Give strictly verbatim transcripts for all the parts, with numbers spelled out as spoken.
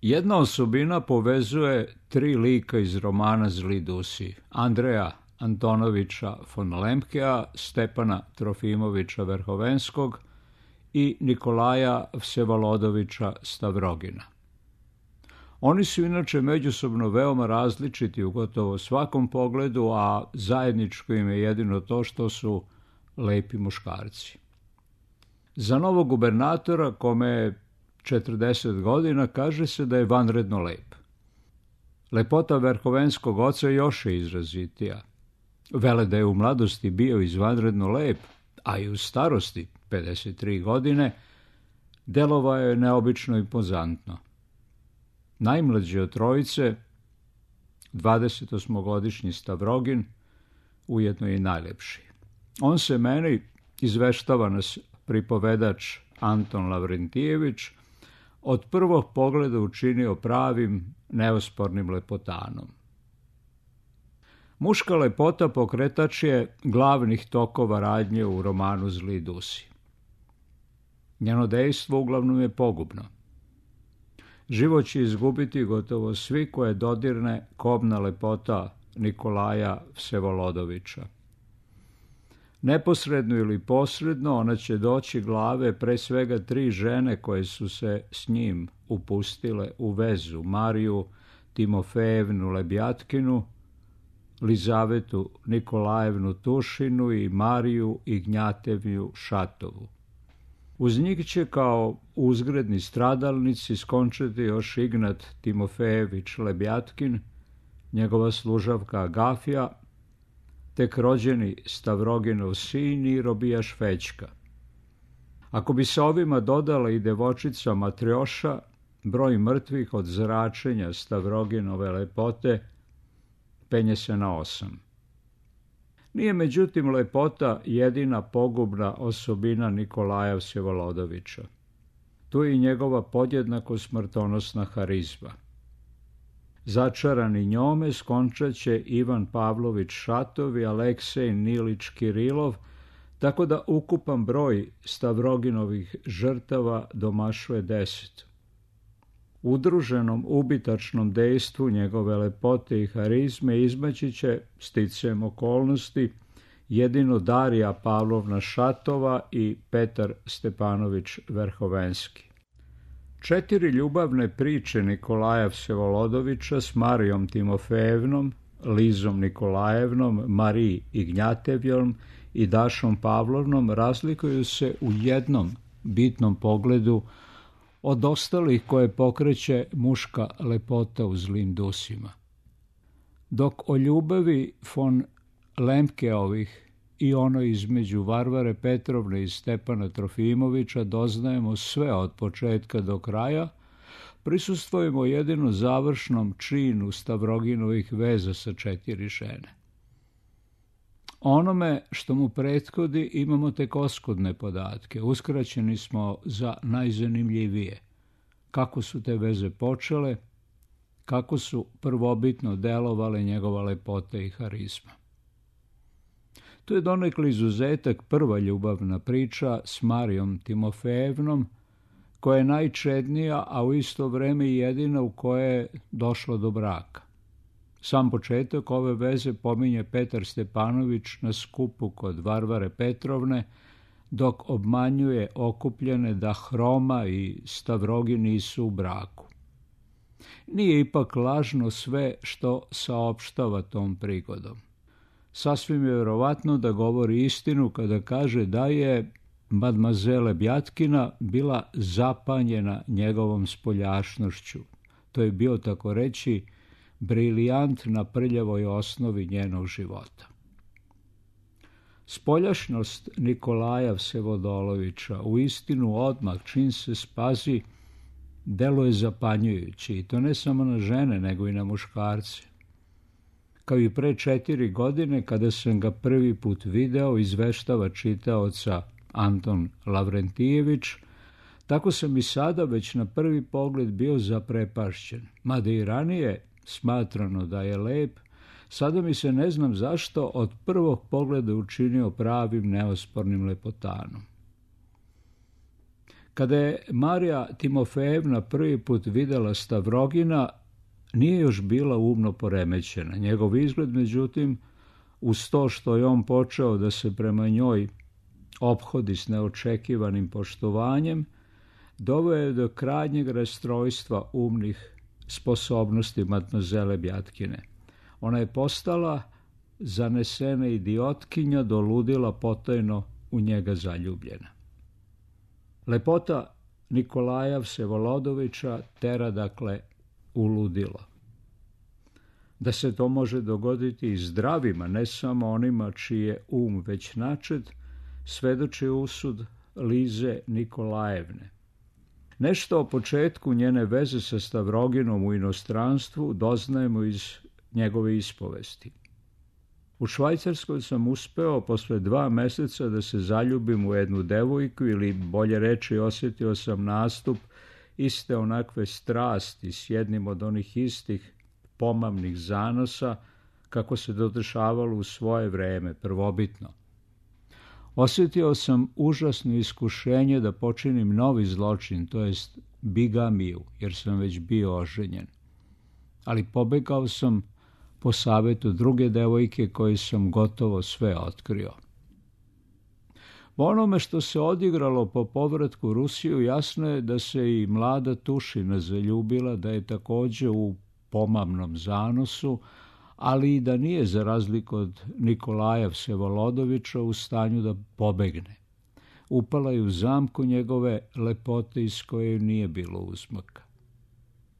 Jedna osobina povezuje tri lika iz romana Zli dusi, Andreja Antonovića von Lemkea, Stepana Trofimovića Verhovenskog i Nikolaja Vsevolodovića Stavrogina. Oni su inače međusobno veoma različiti u gotovo svakom pogledu, a zajedničko im je jedino to što su lepi muškarci. Za novog gubernatora, kome je četrdeset godina, kaže se da je vanredno lep. Lepota Verhovenskog oca još je izrazitija. Vele da je u mladosti bio izvanredno lep, a i u starosti, pedeset tri godine, delovao je neobično impozantno. Najmlađi od trojice, dvadesetosmogodišnji Stavrogin, ujedno i najlepši. On se meni, izveštava nas pripovedač Anton Lavrentijević, od prvog pogleda učinio pravim, neospornim lepotanom. Muška lepota pokretač je glavnih tokova radnje u romanu Zli dusi. Njeno dejstvo uglavnom je pogubno. Život će izgubiti gotovo svi koje dodirne kobna lepota Nikolaja Vsevolodovića. Neposredno ili posredno ona će doći glave pre svega tri žene koje su se s njim upustile u vezu, Mariju Timofejevnu Lebjatkinu, Lizavetu Nikolajevnu Tušinu i Mariju Ignjatevju Šatovu. Uz njih će kao uzgredni stradalnici skončati još Ignat Timofejević Lebjatkin, njegova služavka Agafija, tek rođeni Stavroginov sin i robijaš Fećka. Ako bi se ovima dodala i devočica Matrjoša, broj mrtvih od zračenja Stavroginove lepote penje se na osam. Nije međutim lepota jedina pogubna osobina Nikolaja Vsevolodovića. Tu je i njegova podjednako smrtonosna harizma. Začarani njome skončat će Ivan Pavlović Šatov i Aleksej Nilić Kirilov, tako da ukupan broj Stavroginovih žrtava domašuje deset. Udruženom ubitačnom dejstvu njegove lepote i harizme izmaći će, sticajem okolnosti, jedino Darija Pavlovna Šatova i Petar Stepanović Verhovenski. Četiri ljubavne priče Nikolaja Vsevolodovića s Marijom Timofejevnom, Lizom Nikolajevnom, Mariji Ignjatevjom i Dašom Pavlovnom razlikuju se u jednom bitnom pogledu od ostalih koje pokreće muška lepota u Zlim dusima. Dok o ljubavi von Lemkeovih i ono između Varvare Petrovne i Stepana Trofimovića doznajemo sve od početka do kraja, prisustvujemo jedino završnom činu Stavroginovih veza sa četiri žene. Onome što mu prethodi imamo tek oskudne podatke, uskraćeni smo za najzanimljivije. Kako su te veze počele, kako su prvobitno delovale njegova lepota i harizma. Tu je donekle izuzetak prva ljubavna priča s Marijom Timofejevnom, koja je najčednija, a u isto vreme i jedina u kojoj je došlo do braka. Sam početak ove veze pominje Petar Stepanović na skupu kod Varvare Petrovne, dok obmanjuje okupljene da Hroma i Stavrogin nisu u braku. Nije ipak lažno sve što saopštava tom prigodom. Sasvim je vjerovatno da govori istinu kada kaže da je madmazele Bjatkina bila zapanjena njegovom spoljašnošću. To je bio, tako reći, brilijant na prljavoj osnovi njenog života. Spoljašnost Nikolaja Vsevodolovića u istinu odmah, čim se spazi, deluje zapanjujući, i to ne samo na žene, nego i na muškarce. Kao i pre četiri godine, kada sam ga prvi put video, izveštava čitaoca Anton Lavrentijević, tako sam i sada već na prvi pogled bio zaprepašćen. Mada i ranije smatrano da je lep, sada mi se ne znam zašto od prvog pogleda učinio pravim neospornim lepotanom. Kada je Marija Timofejevna prvi put videla Stavrogina, nije još bila umno poremećena. Njegov izgled, međutim, uz to što je on počeo da se prema njoj ophodi s neočekivanim poštovanjem, doveo je do krajnjeg rastrojstva umnih sposobnosti matmazele Bjatkine. Ona je postala zanesena idiotkinja, do ludila potajno u njega zaljubljena. Lepota Nikolaja Vsevolodovića tera dakle u ludilo. Da se to može dogoditi i zdravima, ne samo onima čiji je um već načet, svedoči usud Lize Nikolajevne. Nešto o početku njene veze sa Stavroginom u inostranstvu doznajemo iz njegove ispovesti. U Švajcarskoj sam uspeo posle dva meseca da se zaljubim u jednu devojku, ili bolje reći osjetio sam nastup iste onakve strasti s jednim od onih istih pomamnih zanosa kako se dodešavalo u svoje vreme, prvobitno. Osjetio sam užasno iskušenje da počinim novi zločin, to jest bigamiju, jer sam već bio oženjen. Ali pobegao sam po savetu druge devojke koje sam gotovo sve otkrio. Po onome što se odigralo po povratku u Rusiju, jasno je da se i mlada Tušina zaljubila, da je također u pomamnom zanosu, ali i da nije, za razliku od Nikolaja Vsevolodovića, u stanju da pobegne. Upala je u zamku njegove lepote iz koje nije bilo uzmaka.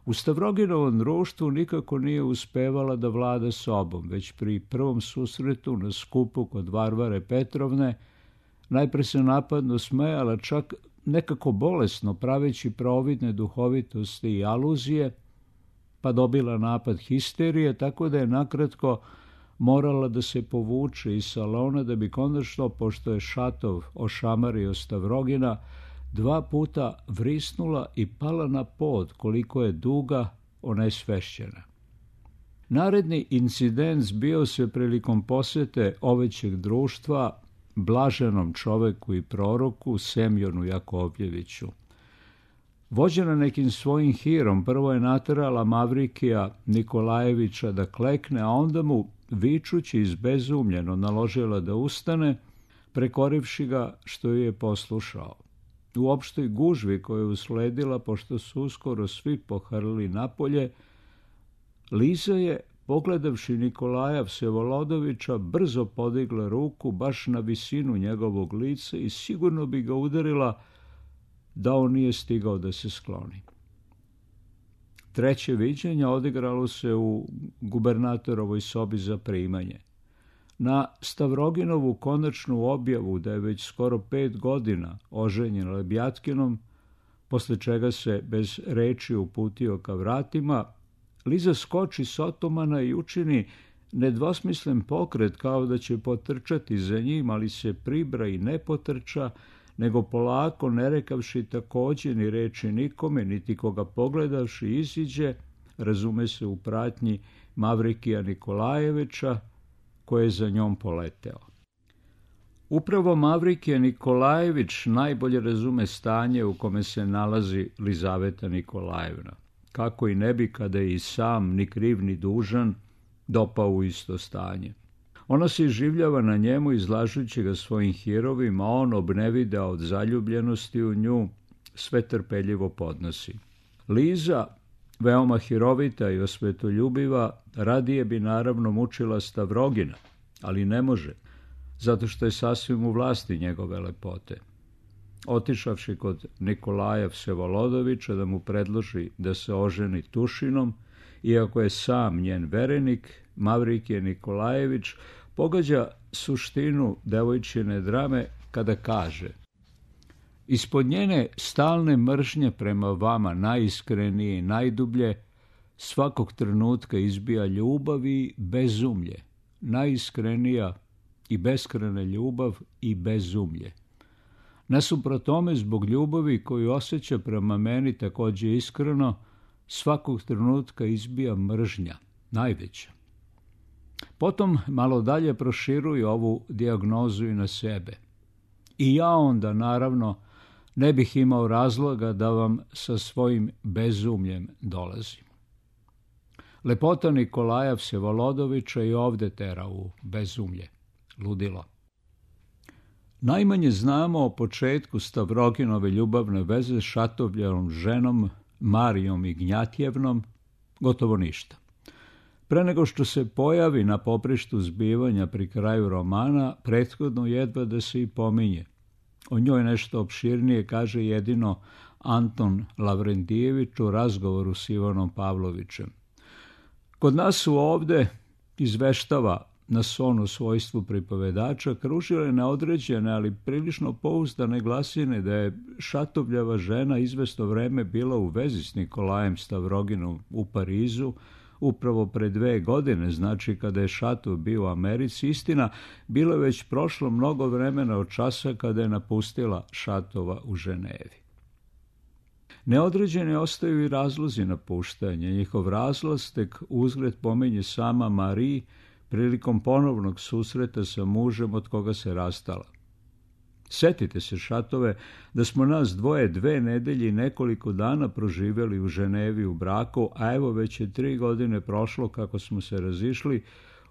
U Stavroginovom društvu nikako nije uspevala da vlada sobom, već pri prvom susretu na skupu kod Varvare Petrovne najpre se napadno smejala, čak nekako bolesno, praveći providne duhovitosti i aluzije, pa dobila napad histerije, tako da je nakratko morala da se povuče iz salona, da bi konačno, pošto je Šatov ošamario Stavrogina, dva puta vrisnula i pala na pod, koliko je duga onesvešćena. Naredni incident zbio se prilikom posete ovećeg društva blaženom čoveku i proroku Semjonu Jakovljeviću. Vođena nekim svojim hirom, prvo je naterala Mavrikija Nikolajevića da klekne, a onda mu, vičući izbezumljeno, naložila da ustane, prekorivši ga što ju je poslušao. U opštoj gužvi koju je usledila, pošto su uskoro svi pohrlili napolje, Liza je, pogledavši Nikolaja Vsevolodovića, brzo podigla ruku baš na visinu njegovog lica i sigurno bi ga udarila da on nije stigao da se skloni. Treće viđenje odigralo se u gubernatorovoj sobi za primanje. Na Stavroginovu konačnu objavu da je već skoro pet godina oženjen Lebjatkinom, posle čega se bez reči uputio ka vratima, Liza skoči s otomana i učini nedvosmislen pokret kao da će potrčati za njim, ali se pribra i ne potrča, nego polako, ne rekavši također ni reči nikome, niti koga pogledavši iziđe, razume se u pratnji Mavrikija Nikolajevića, koji je za njom poleteo. Upravo Mavrikije Nikolajević najbolje razume stanje u kome se nalazi Lizaveta Nikolajevna, kako i ne bi, kada je i sam, ni kriv ni dužan, dopao u isto stanje. Ona se iživljava na njemu, izlažući ga svojim hirovima, a on, obnevideo od zaljubljenosti u nju, sve trpeljivo podnosi. Liza, veoma hirovita i osvetoljubiva, radije bi naravno mučila Stavrogina, ali ne može, zato što je sasvim u vlasti njegove lepote. Otišavši kod Nikolaja Vsevolodovića da mu predloži da se oženi Tušinom, iako je sam njen verenik, Mavrikije Nikolajević pogađa suštinu devojčine drame kada kaže: ispod njene stalne mržnje prema vama, najiskrenije i najdublje, svakog trenutka izbija ljubav i bezumlje, najiskrenija i beskrajna ljubav i bezumlje. Nasuprot tome, zbog ljubavi koju osjeća prema meni također iskreno, svakog trenutka izbija mržnja, najveća. Potom malo dalje proširuje ovu dijagnozu i na sebe. I ja onda, naravno, ne bih imao razloga da vam sa svojim bezumljem dolazim. Lepota Nikolaja Vsevolodovića i ovde tera u bezumlje, ludilo. Najmanje znamo o početku Stavroginove ljubavne veze s Šatovljevom ženom Marijom Ignjatjevnom, gotovo ništa. Pre nego što se pojavi na poprištu zbivanja pri kraju romana, prethodno jedva da se i pominje. O njoj nešto opširnije kaže jedino Anton Lavrentijević u razgovoru s Ivanom Pavlovićem. Kod nas su ovde, izveštava nas on u svojstvu pripovedača, kružile neodređene, ali prilično pouzdane glasine da je Šatovljeva žena izvesno vreme bila u vezi s Nikolajem Stavroginom u Parizu, upravo pre dve godine, znači kada je Šatov bio u Americi. Istina, bilo je već prošlo mnogo vremena od časa kada je napustila Šatova u Ženevi. Neodređeni ostaju i razlozi napuštanja. Njihov razlaz tek uzgled pominje sama Marie prilikom ponovnog susreta sa mužem od koga se rastala. Setite se, Šatove, da smo nas dvoje dve nedelje i nekoliko dana proživjeli u Ženevi u braku, a evo već je tri godine prošlo kako smo se razišli,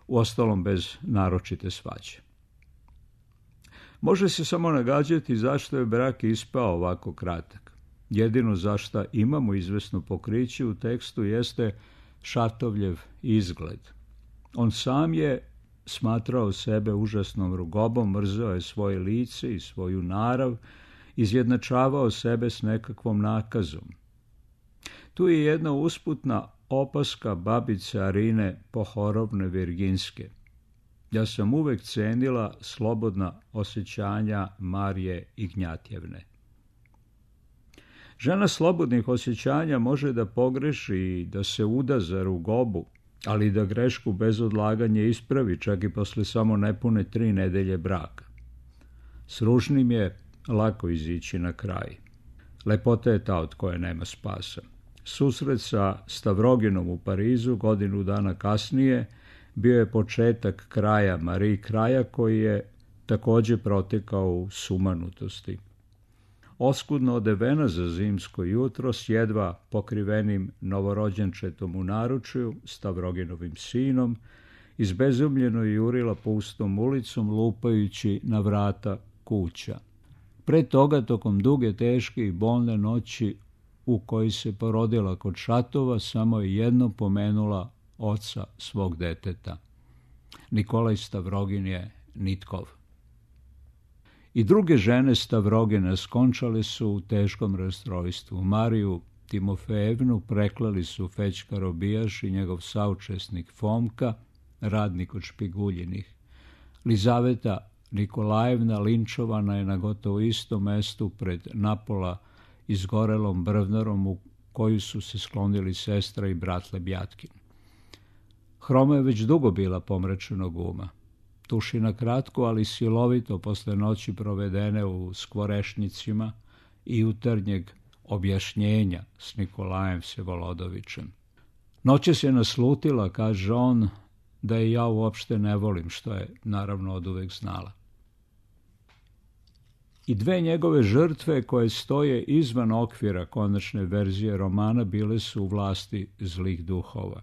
uostalom bez naročite svađe. Može se samo nagađati zašto je brak ispao ovako kratak. Jedino zašto imamo izvesno pokriće u tekstu jeste Šatovljev izgled. On sam je smatrao sebe užasnom rugobom, mrzeo je svoje lice i svoju narav, izjednačavao sebe s nekakvom nakazom. Tu je jedna usputna opaska babice Arine Pohorovne Virginske. Ja sam uvek cenila slobodna osjećanja Marije Ignjatjevne. Žena slobodnih osjećanja može da pogreši i da se uda za rugobu, ali da grešku bez odlaganja ispravi čak i posle samo nepune tri nedelje braka. S ružnim je lako izići na kraj. Lepota je ta od koje nema spasa. Susret sa Stavroginom u Parizu godinu dana kasnije bio je početak kraja Marie, kraja koji je također protekao u sumanutosti. Oskudno odevena za zimsko jutro s jedva pokrivenim novorođenčetom u naručju, Stavroginovim sinom, izbezumljeno je jurila pustom ulicom lupajući na vrata kuća. Pre toga, tokom duge, teške i bolne noći u kojoj se porodila kod Šatova, samo je jedno pomenula oca svog deteta. Nikolaj Stavrogin je Nitkov. I druge žene Stavrogina skončale su u teškom rastrojstvu. Mariju Timofejevnu preklali su Fećka Robijaš i njegov saučesnik Fomka, radnik od Špiguljinih. Lizaveta Nikolajevna linčovana je na gotovo istom mestu pred napola izgorelom brvnarom u koju su se sklonili sestra i brat Lebjatkin. Hroma je već dugo bila pomračenog uma. Tuši na kratko, ali silovito posle noći provedene u skvorešnicima i jutarnjeg objašnjenja s Nikolajem Vsevolodovićem. Noćas je naslutila, kaže on, da je ja uopšte ne volim, što je naravno oduvek znala. I dve njegove žrtve koje stoje izvan okvira konačne verzije romana bile su u vlasti zlih duhova.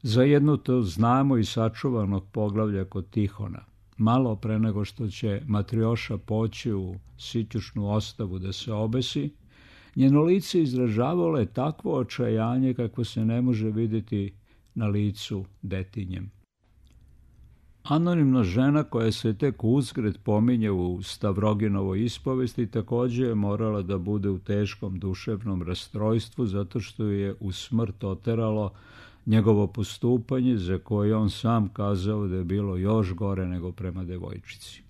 Za jednu to znamo i sačuvanog poglavlja kod Tihona. Malo pre nego što će Matrioša poći u sitjušnu ostavu da se obesi, njeno lice izražavalo je takvo očajanje kakvo se ne može vidjeti na licu detinjem. Anonimna žena koja se tek uzgred pominje u Stavroginovoj ispovesti također je morala da bude u teškom duševnom rastrojstvu zato što je u smrt oteralo njegovo postupanje za koje on sam kazao da je bilo još gore nego prema devojčici.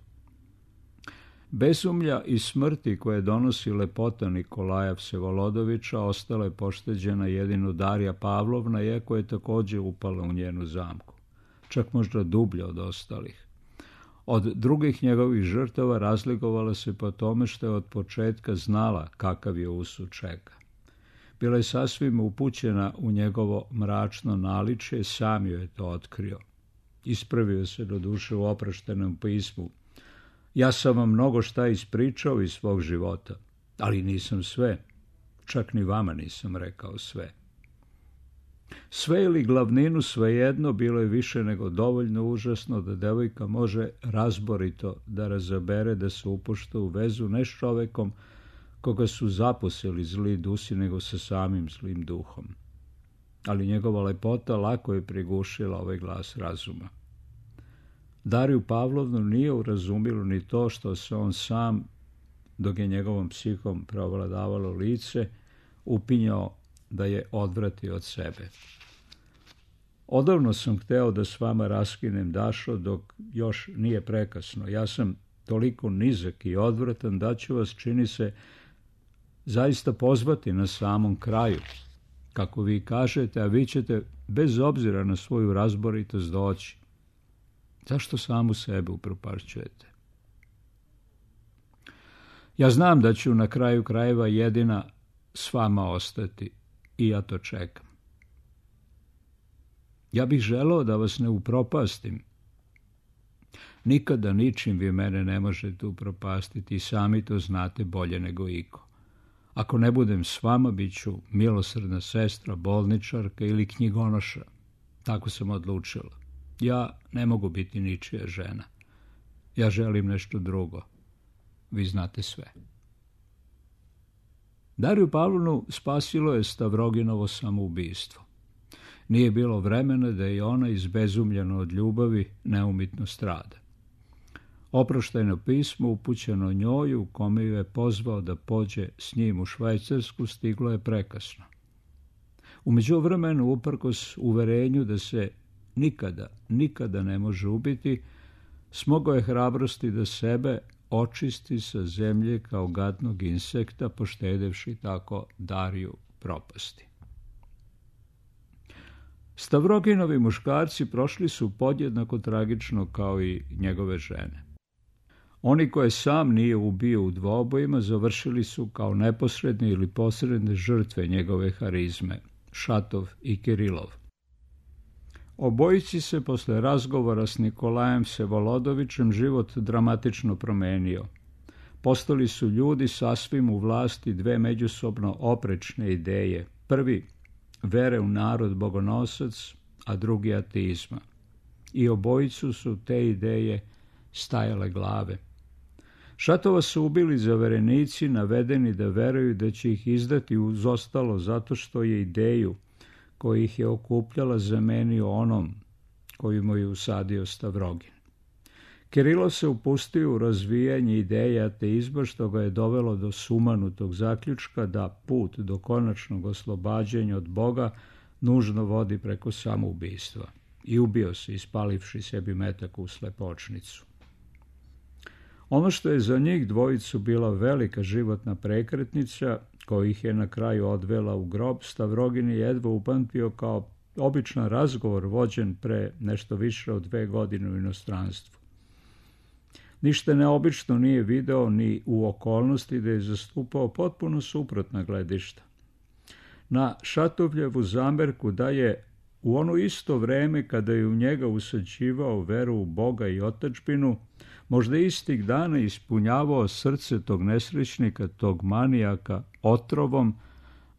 Besumlja i smrti koje donosi lepota Nikolaja Vsevolodovića ostala je pošteđena jedino Darija Pavlovna, iako je također upala u njenu zamku, čak možda dublje od ostalih. Od drugih njegovih žrtava razlikovala se po tome što je od početka znala kakav je usud čeka. Bila je sasvim upućena u njegovo mračno naličje, sam joj je to otkrio. Ispravio se do duše u opraštenom pismu. Ja sam vam mnogo šta ispričao iz svog života. Ali nisam sve, čak ni vama nisam rekao sve. Sve ili glavninu svejedno bilo je više nego dovoljno užasno da devojka može razborito da razabere da se upušta u vezu ne s čovekom koga su zaposeli zli dusi, nego sa samim zlim duhom. Ali njegova lepota lako je prigušila ovaj glas razuma. Dariju Pavlovnu nije urazumilo ni to što se on sam, dok je njegovom psihom preovladavalo lice, upinjao da je odvrati od sebe. Odavno sam hteo da s vama raskinem, Dašo, dok još nije prekasno. Ja sam toliko nizak i odvratan da ću vas, čini se, zaista pozvati na samom kraju, kako vi kažete, a vi ćete bez obzira na svoju razboritost doći. Zašto samu sebe upropašćujete? Ja znam da ću na kraju krajeva jedina s vama ostati i ja to čekam. Ja bih želeo da vas ne upropastim. Nikada ničim vi mene ne možete upropastiti i sami to znate bolje nego iko. Ako ne budem s vama, bit ću milosrdna sestra, bolničarka ili knjigonoša. Tako sam odlučila. Ja ne mogu biti ničija žena. Ja želim nešto drugo. Vi znate sve. Dariju Pavlovnu spasilo je Stavroginovo samoubistvo. Nije bilo vremena da je ona izbezumljena od ljubavi neumitno strada. Oproštajno pismo upućeno njoj, u kome ju je pozvao da pođe s njim u Švajcarsku, stiglo je prekasno. U međuvremenu, uprkos uverenju da se nikada, nikada ne može ubiti, smogao je hrabrosti da sebe očisti sa zemlje kao gadnog insekta, poštedevši tako Dariju propasti. Stavroginovi muškarci prošli su podjednako tragično kao i njegove žene. Oni koje sam nije ubio u dvobojima završili su kao neposredne ili posredne žrtve njegove harizme, Šatov i Kirilov. Obojici se posle razgovora s Nikolajem Vsevolodovićem život dramatično promenio. Postali su ljudi sasvim u vlasti dve međusobno oprečne ideje. Prvi, vere u narod bogonosac, a drugi ateizma. I obojicu su te ideje stajale glave. Šatova su ubili zaverenici, navedeni da veruju da će ih izdati uz ostalo zato što je ideju koja ih je okupljala zamenio onom koju mu je usadio Stavrogin. Kirilov se upustio u razvijanje ideje ateizma, što ga je dovelo do sumanutog zaključka da put do konačnog oslobađanja od Boga nužno vodi preko samoubistva. I ubio se, ispalivši sebi metak u slepočnicu. Ono što je za njih dvojicu bila velika životna prekretnica, koja ih je na kraju odvela u grob, Stavrogin je jedva upamtio kao običan razgovor vođen pre nešto više od dve godine u inostranstvu. Ništa neobično nije video ni u okolnosti da je zastupao potpuno suprotna gledišta. Na Šatovljevu zamerku da je u ono isto vreme kada je u njega usađivao veru u Boga i otadžbinu, možda istih dana ispunjavao srce tog nesrećnika, tog manijaka otrovom,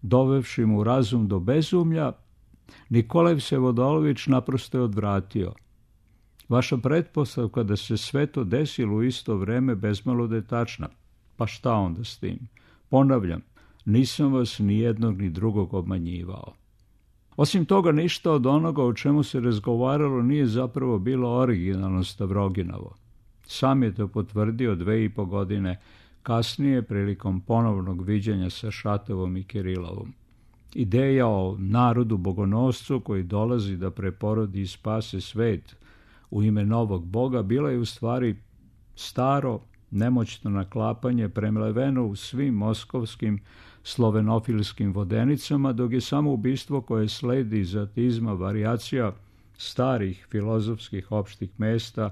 dovevši mu razum do bezumlja, Nikolaj Vsevodolović naprosto je odvratio. Vaša pretpostavka da se sve to desilo u isto vreme bezmalo da je tačna. Pa šta onda s tim? Ponavljam, nisam vas ni jednog ni drugog obmanjivao. Osim toga, ništa od onoga o čemu se razgovaralo nije zapravo bilo originalno Stavroginovo. Sam je to potvrdio dve i po godine kasnije prilikom ponovnog viđanja sa Šatovom i Kirilovom. Ideja o narodu bogonoscu koji dolazi da preporodi i spase svet u ime novog Boga bila je u stvari staro, nemoćno naklapanje premleveno u svim moskovskim slovenofilskim vodenicama, dok je samo ubistvo koje sledi iz ateizma varijacija starih filozofskih opštih mesta,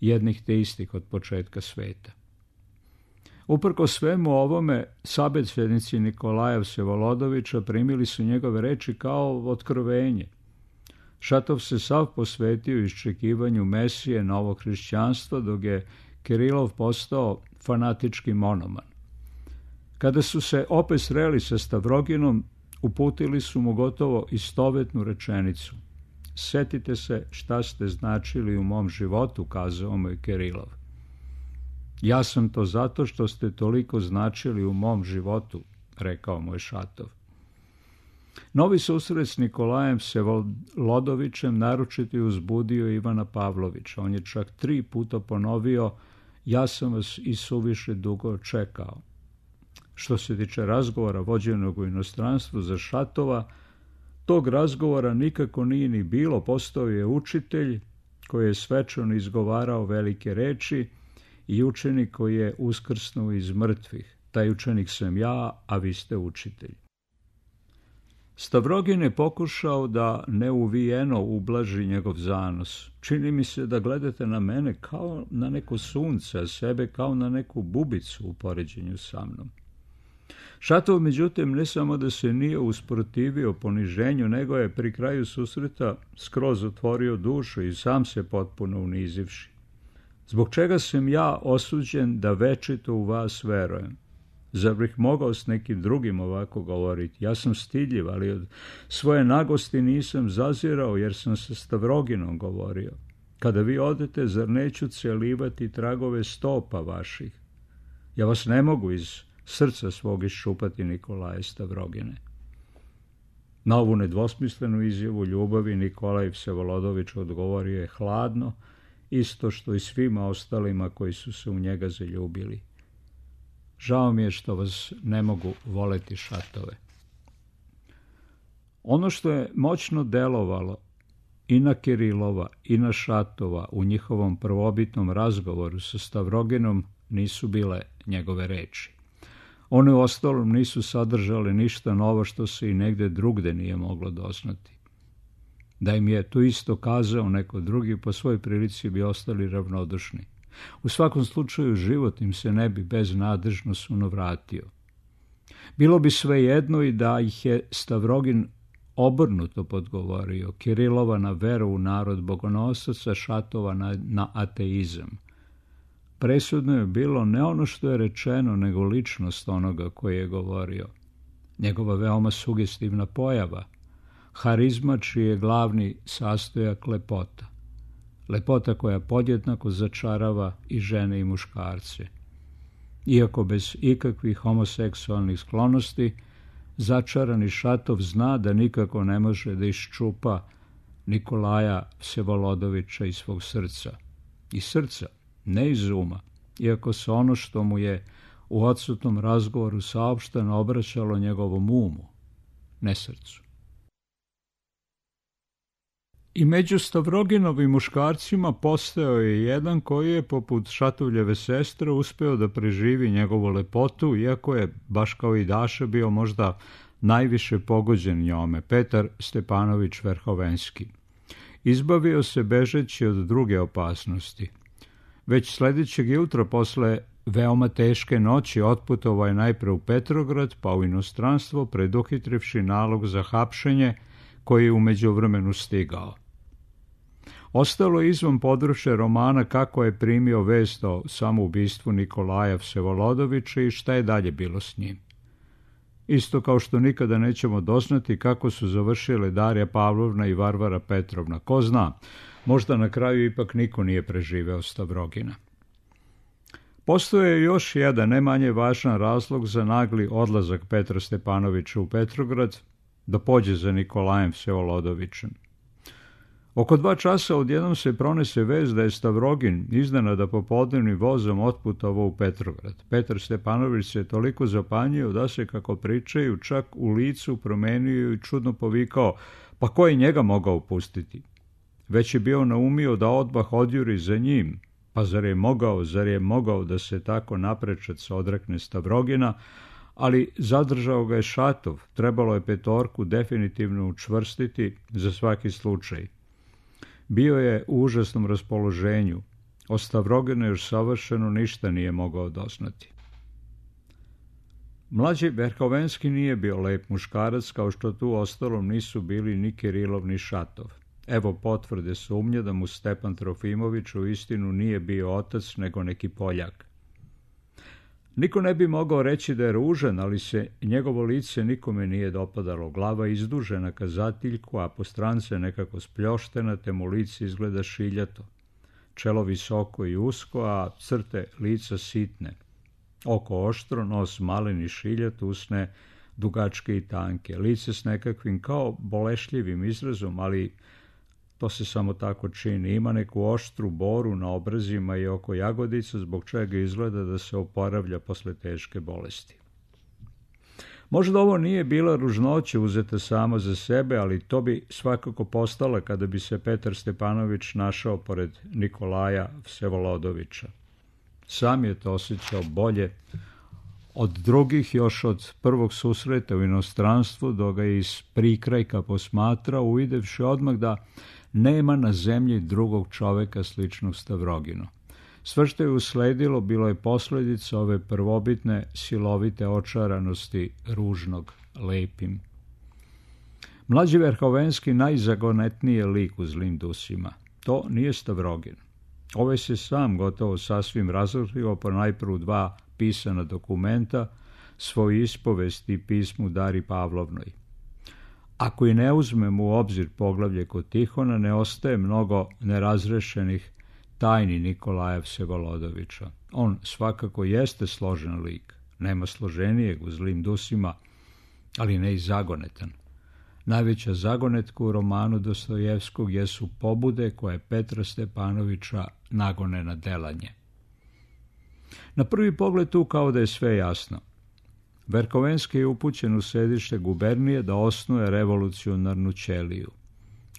jednih te istih od početka sveta. Uprko svemu ovome, sabedsednici Nikolaja Vsevolodovića primili su njegove reči kao otkrovenje. Šatov se sav posvetio iščekivanju Mesije novog hrišćanstva, dok je Kirilov postao fanatički monoman. Kada su se opet sreli sa Stavroginom, uputili su mu gotovo istovetnu rečenicu. Setite se šta ste značili u mom životu, kazao mu je Kirilov. Ja sam to zato što ste toliko značili u mom životu, rekao mu je Šatov. Novi susret s Nikolajem Vsevolodovичem naročito je uzbudio Ivana Pavlovića. On je čak tri puta ponovio, ja sam vas i suviše dugo čekao. Što se tiče razgovora vođenog u inostranstvu za Šatova, tog razgovora nikako nije ni bilo. Postao je učitelj koji je svečano izgovarao velike reči i učenik koji je uskrsnuo iz mrtvih. Taj učenik sam ja, a vi ste učitelj. Stavrogin je pokušao da neuvijeno ublaži njegov zanos. Čini mi se da gledate na mene kao na neko sunce, a sebe kao na neku bubicu u poređenju sa mnom. Šatov, međutim, ne samo da se nije usprotivio poniženju, nego je pri kraju susreta skroz otvorio dušu i sam se potpuno unizivši. Zbog čega sam ja osuđen da večito u vas verujem? Zar bih mogao s nekim drugim ovako govoriti? Ja sam stidljiv, ali od svoje nagosti nisam zazirao, jer sam sa Stavroginom govorio. Kada vi odete, zar neću celivati tragove stopa vaših? Ja vas ne mogu iz srca svog iščupati, Nikolaje Stavrogine. Na ovu nedvosmislenu izjavu ljubavi Nikolaj Vsevolodović odgovorio je hladno, isto što i svima ostalima koji su se u njega zaljubili. Žao mi je što vas ne mogu voleti, Šatove. Ono što je moćno delovalo i na Kirilova i na Šatova u njihovom prvobitnom razgovoru sa Stavroginom nisu bile njegove reči. One u ostalom nisu sadržale ništa novo što se i negde drugde nije moglo doznati. Da im je to isto kazao neko drugi, po svoj prilici bi ostali ravnodušni. U svakom slučaju život im se ne bi beznadežno sunovratio. Bilo bi svejedno i da ih je Stavrogin obrnuto podgovorio, Kirilova na veru u narod bogonosaca, Šatova na, na ateizam. Presudno je bilo ne ono što je rečeno, nego ličnost onoga koji je govorio. Njegova veoma sugestivna pojava, harizma čiji je glavni sastojak lepota. Lepota koja podjednako začarava i žene i muškarce. Iako bez ikakvih homoseksualnih sklonosti, začarani Šatov zna da nikako ne može da iščupa Nikolaja Vsevolodovića iz svog srca. Iz srca, ne iz uma, iako se ono što mu je u odsutnom razgovoru saopšteno obraćalo njegovom umu, ne srcu. I među Stavroginovim muškarcima postojao je jedan koji je, poput Šatovljeve sestre, uspeo da preživi njegovu lepotu, iako je, baš kao i Daša, bio možda najviše pogođen njome, Petar Stepanović Verhovenski. Izbavio se bežeći od druge opasnosti. Već sledećeg jutra posle veoma teške noći otputovao je najpre u Petrograd, pa u inostranstvo, preduhitrivši nalog za hapšenje koji je u međuvremenu stigao. Ostalo je izvan područja romana kako je primio vest o samoubistvu Nikolaja Vsevolodovića i šta je dalje bilo s njim. Isto kao što nikada nećemo doznati kako su završile Darija Pavlovna i Varvara Petrovna. Ko zna, možda na kraju ipak niko nije preživeo Stavrogina. Postoje još jedan, ne manje važan razlog za nagli odlazak Petra Stepanovića u Petrograd, da pođe za Nikolajem Vsevolodovićem. Oko dva časa odjednom se pronese vest da je Stavrogin iznenada popodnevnim vozom otputovao u Petrograd. Petar Stepanović se toliko zapanjio da se, kako pričaju, čak u licu promenio i čudno povikao, pa ko je njega mogao pustiti? Već je bio naumio da odmah odjuri za njim, pa zar je mogao, zar je mogao da se tako naprečac odrekne Stavrogina, ali zadržao ga je Šatov, trebalo je petorku definitivno učvrstiti za svaki slučaj. Bio je u užasnom raspoloženju, o Stavroginu još savršeno ništa nije mogao doznati. Mlađi Verhovenski nije bio lep muškarac, kao što tu ostalom nisu bili ni Kirilov ni Šatov. Evo potvrde sumnje da mu Stepan Trofimović u istinu nije bio otac, nego neki Poljak. Niko ne bi mogao reći da je ružan, ali se njegovo lice nikome nije dopadalo. Glava izdužena ka zatiljku, a po strance nekako spljoštena, te mu lice izgleda šiljato. Čelo visoko i usko, a crte lica sitne. Oko oštro, nos malen i šiljat, usne dugačke i tanke. Lice s nekakvim kao bolešljivim izrazom, ali to se samo tako čini. Ima neku oštru boru na obrazima i oko jagodica, zbog čega izgleda da se oporavlja posle teške bolesti. Možda ovo nije bila ružnoća uzeta samo za sebe, ali to bi svakako postala kada bi se Petar Stepanović našao pored Nikolaja Vsevolodovića. Sam je to osjećao bolje od drugih, još od prvog susreta u inostranstvu, dok ga je iz prikrajka posmatrao, uvidevši odmah da nema na zemlji drugog čoveka sličnog Stavroginu. Sve što je usledilo bilo je posljedica ove prvobitne silovite očaranosti ružnog lepim. Mlađi Verhovenski najzagonetniji je lik u Zlim dusima. To nije Stavrogin. Ovaj se sam gotovo sasvim razotkrio po najprvu dva pisana dokumenta, svoj ispovesti i pismu Dari Pavlovnoj. Ako i ne uzmemo u obzir poglavlje kod Tihona, ne ostaje mnogo nerazrešenih tajni Nikolaja Vsevolodovića. On svakako jeste složen lik, nema složenijeg u Zlim dusima, ali ne i zagonetan. Najveća zagonetka u romanu Dostojevskog jesu pobude koje Petra Stepanovića nagone na delanje. Na prvi pogled tu kao da je sve jasno. Verhovenski je upućen u sedište gubernije da osnuje revolucionarnu ćeliju.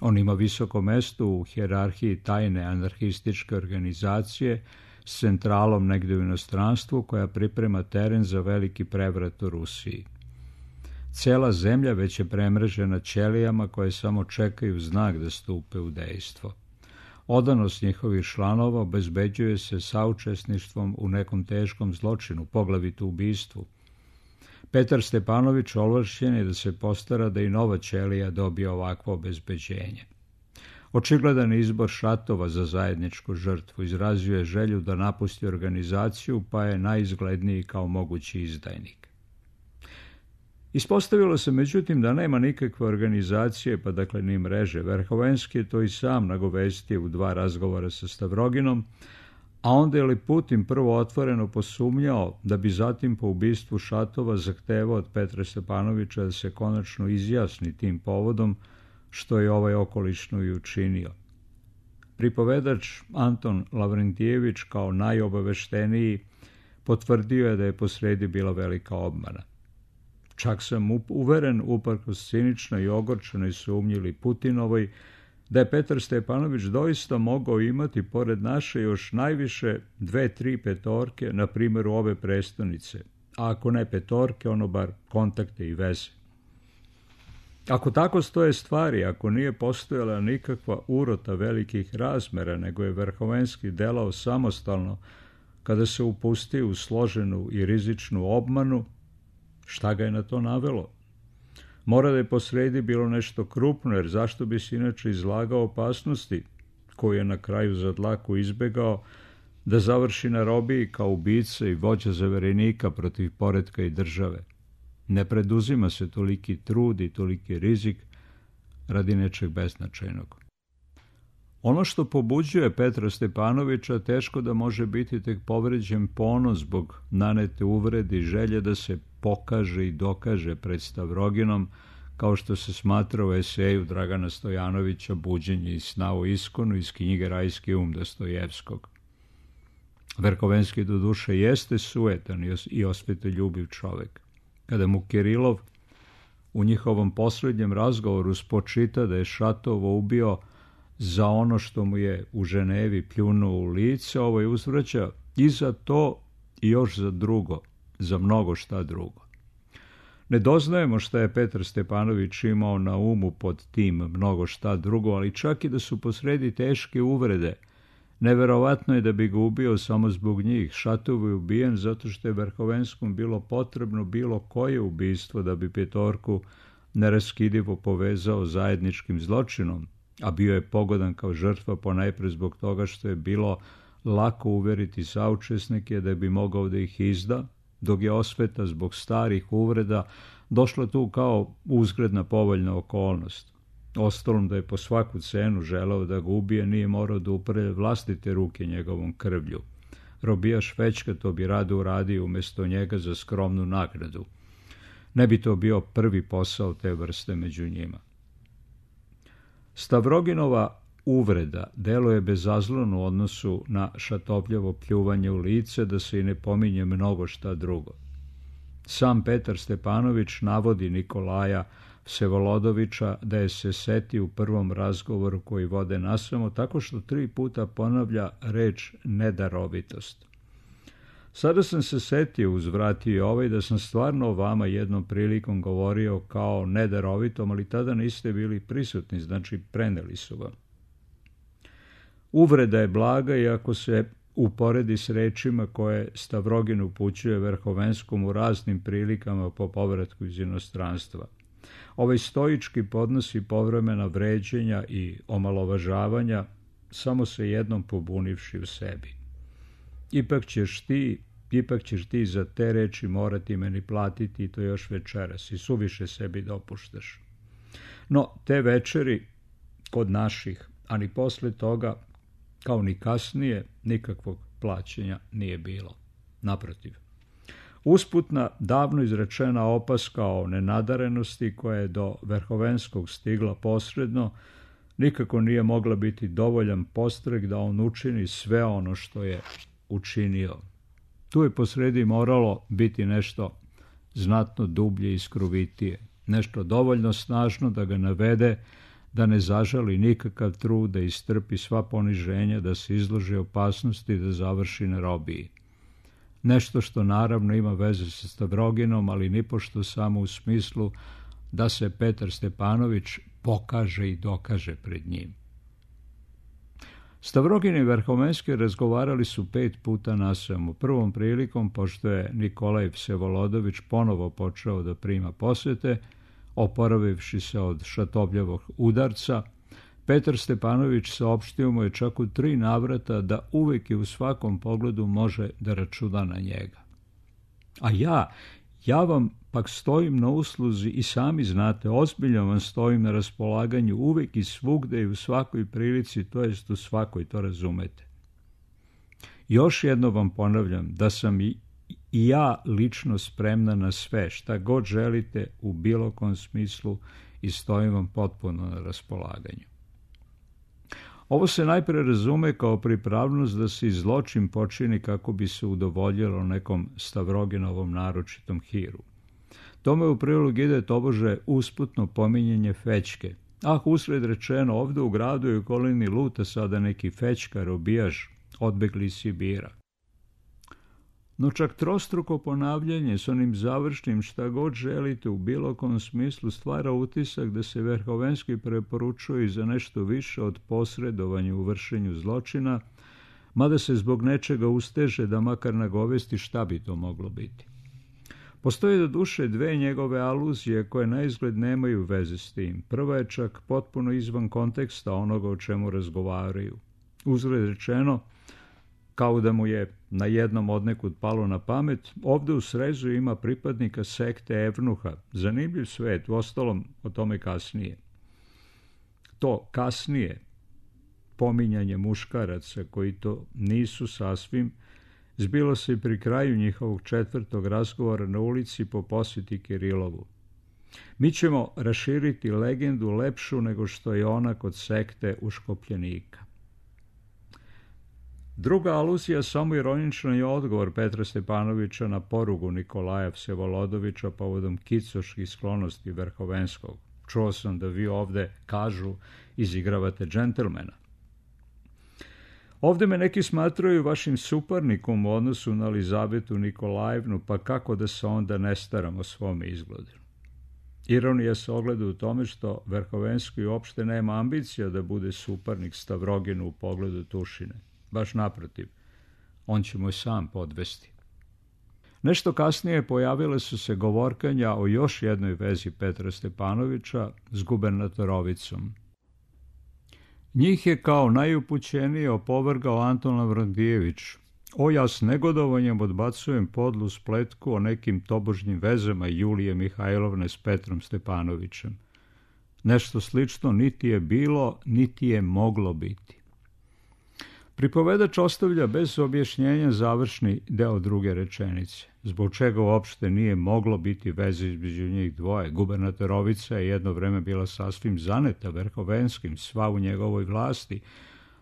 On ima visoko mesto u hijerarhiji tajne anarhističke organizacije s centralom negde u inostranstvu koja priprema teren za veliki prevrat u Rusiji. Cela zemlja već je premrežena ćelijama koje samo čekaju znak da stupe u dejstvo. Odanost njihovih članova obezbeđuje se saučesništvom u nekom teškom zločinu, poglavito ubistvu. Petar Stepanović ovlašćen je da se postara da i nova ćelija dobije ovakvo obezbeđenje. Očigledan izbor Šatova za zajedničku žrtvu izrazio je želju da napusti organizaciju, pa je najizgledniji kao mogući izdajnik. Ispostavilo se međutim da nema nikakve organizacije, pa dakle ni mreže. Verhovenski je to i sam nagovestio u dva razgovora sa Stavroginom, a onda je Liputin prvo otvoreno posumnjao da bi zatim po ubistvu Šatova zahtevao od Petra Stepanovića da se konačno izjasni tim povodom, što je ovaj okolično i učinio. Pripovedač Anton Lavrentijević kao najobavešteniji potvrdio je da je posredi bila velika obmana. Čak sam uveren, uprkos ciničnoj i ogorčenoj sumnji Liputinovoj, da je Petar Stepanović doista mogao imati pored naše još najviše dve, tri petorke, na primjer ove prestonice, a ako ne petorke, ono bar kontakte i veze. Ako tako stoje stvari, ako nije postojala nikakva urota velikih razmera, nego je Verhovenski delao samostalno kada se upustio u složenu i rizičnu obmanu, šta ga je na to navelo? Mora da je posredi bilo nešto krupno, jer zašto bi se inače izlagao opasnosti, koju je na kraju za dlaku izbegao, da završi na robiji kao ubica i vođa zaverenika protiv poretka i države. Ne preduzima se toliki trud i toliki rizik radi nečeg beznačajnog. Ono što pobuđuje Petra Stepanovića teško da može biti tek povređen ponos zbog nanete uvrede i želje da se pokaže i dokaže pred Stavroginom, kao što se smatra u eseju Dragana Stojanovića Buđenje iz sna o iskonu iz knjige Rajski um Dostojevskog. Verhovenski do duše jeste sujetan i osvetoljubiv čovek. Kada mu Kirilov u njihovom posljednjem razgovoru spočita da je Šatovo ubio za ono što mu je u Ženevi pljunuo u lice, ovaj uzvraća i za to i još za drugo, za mnogo šta drugo. Ne doznajemo šta je Petar Stepanović imao na umu pod tim mnogo šta drugo, ali čak i da su posredi teške uvrede, neverovatno je da bi ga ubio samo zbog njih. Šatov je ubijen zato što je Verhovenskom bilo potrebno bilo koje ubistvo da bi petorku neraskidivo povezao zajedničkim zločinom, a bio je pogodan kao žrtva ponajpre zbog toga što je bilo lako uveriti saučesnike da bi mogao da ih izda, dok je osveta zbog starih uvreda došla tu kao uzgredna povoljna okolnost. Ostalom da je po svaku cenu želeo da ga ubije, nije morao da upre vlastite ruke njegovom krvlju. Robijaš Fećka to bi rado uradio umjesto njega za skromnu nagradu. Ne bi to bio prvi posao te vrste među njima. Stavroginova uvreda deluje bezazleno u odnosu na Šatopljevo pljuvanje u lice, da se i ne pominje mnogo šta drugo. Sam Petar Stepanović navodi Nikolaja Vsevolodovića da je se setio u prvom razgovoru koji vode nasamo, tako što tri puta ponavlja reč nedarovitost. Sada sam se setio, uzvratio i ovaj, da sam stvarno o vama jednom prilikom govorio kao nedarovitom, ali tada niste bili prisutni, znači preneli su vam. Uvreda je blaga i ako se uporedi s rečima koje Stavrogin upućuje Verhovenskom u raznim prilikama po povratku iz inostranstva. Ovaj stoički podnosi povremena vređenja i omalovažavanja, samo se jednom pobunivši u sebi. Ipak ćeš ti, ipak ćeš ti za te reči morati meni platiti i to još večeras i suviše sebi dopuštaš. No, te večeri kod naših, a ni posle toga, kao ni kasnije, nikakvog plaćanja nije bilo. Naprotiv. Usputna, davno izrečena opaska o nenadarenosti koja je do Verhovenskog stigla posredno, nikako nije mogla biti dovoljan postrek da on učini sve ono što je učinio. Tu je posredi moralo biti nešto znatno dublje i skrovitije, nešto dovoljno snažno da ga navede da ne zažali nikakav trud, da istrpi sva poniženja, da se izloži opasnosti, da završi na robiji. Nešto što naravno ima veze sa Stavroginom, ali nipošto samo u smislu da se Petar Stepanović pokaže i dokaže pred njim. Stavrogin i Verhovenski razgovarali su pet puta nasamo. Prvom prilikom, pošto je Nikolaj Vsevolodović ponovo počeo da prima posete, oporavivši se od Šatopljevog udarca, Petar Stepanović saopštio mu je čak u tri navrata da uvijek i u svakom pogledu može da računa na njega. A ja, ja vam pak stojim na usluzi i sami znate, ozbiljno vam stojim na raspolaganju uvijek i svugde i u svakoj prilici, to jest u svakoj, to razumete. Još jedno vam ponavljam da sam i I ja lično spremna na sve, šta god želite u bilo kom smislu i stojim vam potpuno na raspolaganju. Ovo se najpre razume kao pripravnost da se zločin počini kako bi se udovoljilo nekom Stavroginovom naročitom hiru. Tome u prilog ide tobože usputno pominjenje Fećke. Ah, usred rečeno, ovde u gradu i okolini luta sada neki Fećka, robijaš, odbegli iz Sibira. No čak trostruko ponavljanje s onim završnim šta god želite u bilo kom smislu stvara utisak da se Verhovenski preporučuje za nešto više od posredovanja u vršenju zločina, mada se zbog nečega usteže da makar nagovesti šta bi to moglo biti. Postoje do duše dve njegove aluzije koje na izgled nemaju veze s tim. Prva je čak potpuno izvan konteksta onoga o čemu razgovaraju. Uzgled rečeno, kao da mu je na jednom odnekud palo na pamet, ovde u srezu ima pripadnika sekte Evnuha. Zanimljiv svet, uostalom o tome kasnije. To kasnije, pominjanje muškaraca koji to nisu sasvim, zbilo se i pri kraju njihovog četvrtog razgovora na ulici po posjeti Kirilovu. Mi ćemo raširiti legendu lepšu nego što je ona kod sekte uškopljenika. Druga aluzija, samo ironično, je odgovor Petra Stepanovića na porugu Nikolaja Vsevolodovića povodom kicoških sklonosti Verhovenskog. Čuo sam da vi ovde, kažu, izigravate džentelmena. Ovde me neki smatraju vašim suparnikom u odnosu na Elizabetu Nikolajevnu, pa kako da se onda ne staram o svome izgledu. Ironija se ogleda u tome što Verhovenski uopšte nema ambicija da bude suparnik Stavroginu u pogledu Tušine. Baš naprotiv, on će mu sam podvesti. Nešto kasnije pojavile su se govorkanja o još jednoj vezi Petra Stepanovića s gubernatorovicom. Njih je kao najupućenije opovrgao Anton Lavrondijević, O, ja s negodovanjem odbacujem podlu spletku o nekim tobožnjim vezama Julije Mihajlovne s Petrom Stepanovićem. Nešto slično niti je bilo, niti je moglo biti. Pripovedač ostavlja bez objašnjenja završni deo druge rečenice, zbog čega uopšte nije moglo biti veze između njih dvoje. Gubernatorovica je jedno vreme bila sasvim zaneta Verhovenskim, sva u njegovoj vlasti,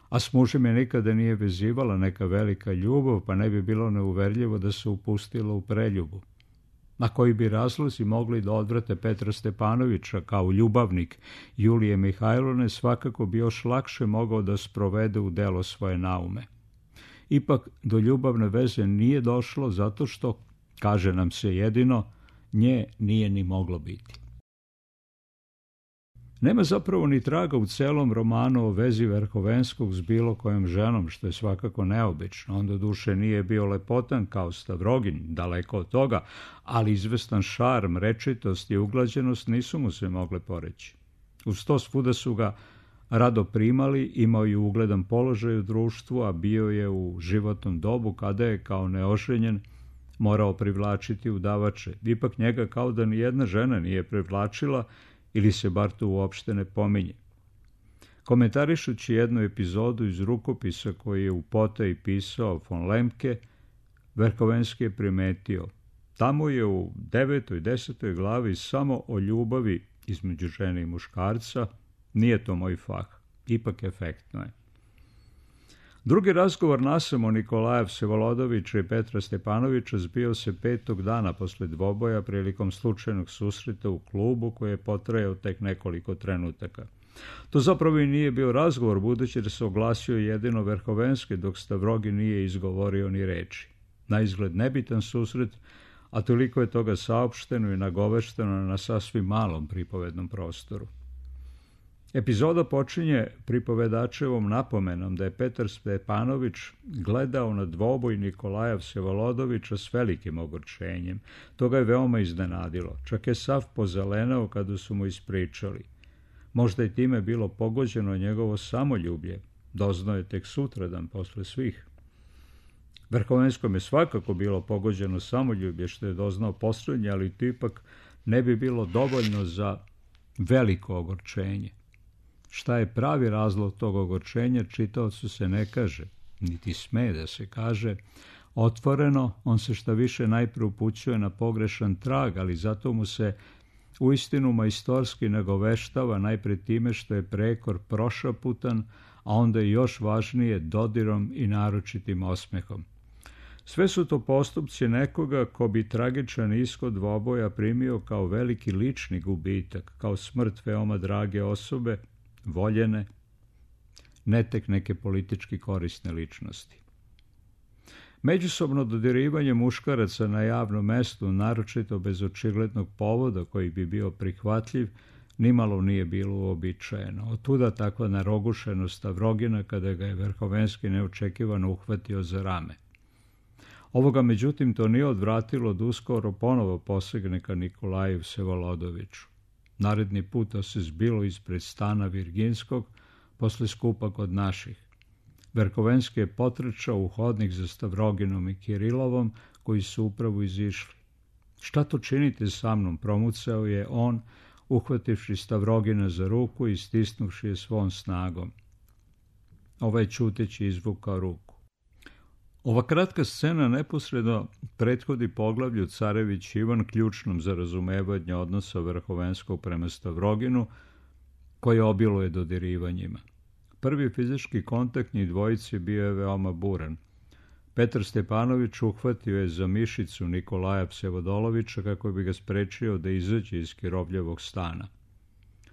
a s mužem je nikada nije vezivala neka velika ljubav, pa ne bi bilo neuverljivo da se upustila u preljubu. Na koji bi razlozi mogli da odvrate Petra Stepanovića kao ljubavnik Julije Mihajlovne, svakako bi još lakše mogao da sprovede u delo svoje naume. Ipak do ljubavne veze nije došlo zato što, kaže nam se jedino, nje nije ni moglo biti. Nema zapravo ni traga u celom romanu o vezi Verhovenskog s bilo kojom ženom, što je svakako neobično. On do duše nije bio lepotan kao Stavrogin, daleko od toga, ali izvestan šarm, rečitost i uglađenost nisu mu se mogle poreći. Uz to svuda su ga rado primali, imao je ugledan položaj u društvu, a bio je u životnom dobu kada je kao neoženjen morao privlačiti udavače. Ipak njega kao da ni jedna žena nije privlačila, ili se bar to uopšte ne pominje. Komentarišući jednu epizodu iz rukopisa koji je u potaji pisao von Lemke, Verhovenski je primetio: tamo je u devetoj, desetoj glavi samo o ljubavi između žene i muškarca, nije to moj fah, ipak efektno je. Drugi razgovor nasamo Nikolaja Vsevolodovića i Petra Stepanovića zbio se petog dana posle dvoboja prilikom slučajnog susreta u klubu koji je potrajao tek nekoliko trenutaka. To zapravo i nije bio razgovor, budući da se oglasio jedino Verhovenski, dok Stavrogin nije izgovorio ni reči. Naizgled nebitan susret, a toliko je toga saopšteno i nagovešteno na sasvim malom pripovednom prostoru. Epizoda počinje pripovedačevom napomenom da je Petar Stepanović gledao na dvoboj Nikolaja Vsevolodovića s velikim ogorčenjem. To ga je veoma iznenadilo. Čak je sav pozelenao kada su mu ispričali. Možda je time bilo pogođeno njegovo samoljublje. Doznao je tek sutradan posle svih. Verhovenskom je svakako bilo pogođeno samoljublje, što je doznao poslednje, ali to ipak ne bi bilo dovoljno za veliko ogorčenje. Šta je pravi razlog tog ogorčenja, čitaocu se ne kaže, niti sme da se kaže. Otvoreno, on se šta više najpre upućuje na pogrešan trag, ali zato mu se uistinu majstorski nagoveštava najpre time što je prekor prošaputan, a onda i još važnije dodirom i naročitim osmehom. Sve su to postupci nekoga ko bi tragičan ishod dvoboja primio kao veliki lični gubitak, kao smrt veoma drage osobe, voljene, ne tek neke politički korisne ličnosti. Međusobno dodirivanje muškaraca na javnom mestu, naročito bez očiglednog povoda koji bi bio prihvatljiv, nimalo nije bilo uobičajeno. Otuda takva narogušenost Stavrogina kada ga je Verhovenski neočekivano uhvatio za rame. Ovoga, međutim, to nije odvratilo da uskoro ponovo posegne ka Nikolaju Vsevolodoviću. Naredni puta se zbilo ispred stana Virginskog, posle skupa kod naših. Verhovenski je potrčao u hodnik za Stavroginom i Kirilovom, koji su upravo izišli. Šta to činite sa mnom, promucao je on, uhvativši Stavrogina za ruku i stisnuvši je svom snagom. Ovaj ćuteći izvukao ruku. Ova kratka scena neposredno prethodi poglavlju Carević Ivan, ključnom za razumevanje odnosa Verhovenskog prema Stavroginu, koje obiluje dodirivanjima. Prvi fizički kontakt njih dvojice bio je veoma buran. Petar Stepanović uhvatio je za mišicu Nikolaja Vsevodolovića kako bi ga sprečio da izađe iz Kirovljevog stana.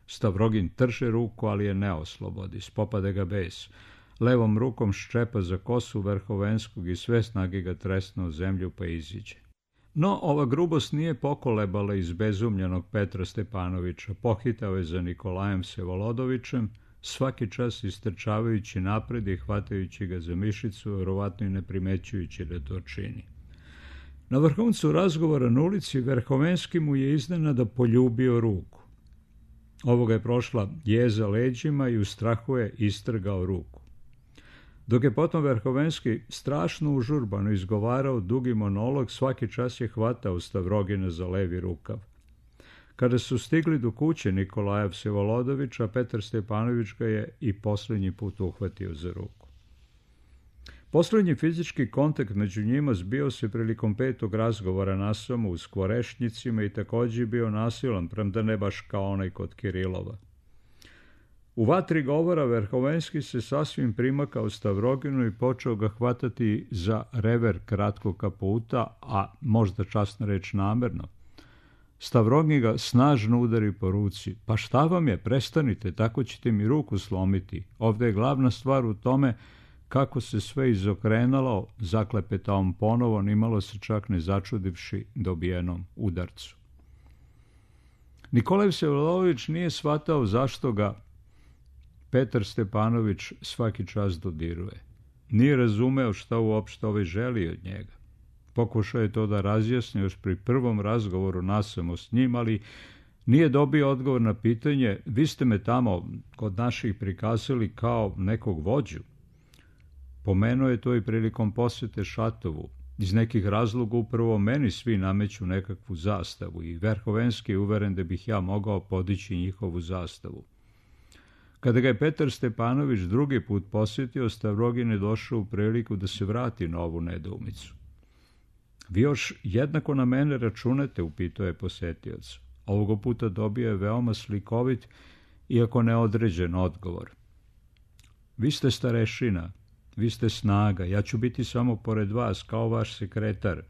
Stavrogin trže ruku, ali je ne oslobodi, spopade ga bes. Levom rukom ščepa za kosu Verhovenskog i sve snage ga tresne u zemlju pa iziđe. No, ova grubost nije pokolebala izbezumljenog Petra Stepanovića. Pohitao je za Nikolajem Vsevolodovićem, svaki čas istrčavajući napred i hvatajući ga za mišicu, verovatno i ne primećujući da to čini. Na vrhuncu razgovora na ulici Verhovenski mu je iznenada poljubio ruku. Ovoga je prošla jeza leđima i u strahu je istrgao ruku. Dok je potom Verhovenski strašno užurbano izgovarao dugi monolog, svaki čas je hvatao Stavrogina za levi rukav. Kada su stigli do kuće Nikolaja Vsevolodovića, Petar Stepanović ga je i posljednji put uhvatio za ruku. Posljednji fizički kontakt među njima zbio se prilikom petog razgovora nasamo u Skvorešnicima i također bio nasilan, premda ne baš kao onaj kod Kirilova. U vatri govora Verhovenski se sasvim primakao Stavroginu i počeo ga hvatati za rever kratkog kaputa, a možda časna reč namerno. Stavrogin ga snažno udari po ruci. Pa šta vam je, prestanite, tako ćete mi ruku slomiti. Ovdje je glavna stvar u tome kako se sve izokrenalo, zaklepeta on ponovo, nimalo se čak ne začudivši dobijenom udarcu. Nikolaj Vsevolodović nije shvatao zašto ga Petar Stepanović svaki čas dodiruje. Nije razumeo šta uopšte ovaj želi od njega. Pokušao je to da razjasni još pri prvom razgovoru nasamo s njim, ali nije dobio odgovor na pitanje: vi ste me tamo kod naših prikazali kao nekog vođu. Pomenuo je to i prilikom posjete Šatovu. Iz nekih razloga upravo meni svi nameću nekakvu zastavu i Verhovenski je uveren da bih ja mogao podići njihovu zastavu. Kada ga je Petar Stepanović drugi put posjetio, Stavrogin je došao u priliku da se vrati na ovu nedoumicu. Vi još jednako na mene računate, upitao je posjetioc. Ovoga puta dobio je veoma slikovit, iako neodređen odgovor. Vi ste starešina, vi ste snaga, ja ću biti samo pored vas, kao vaš sekretar.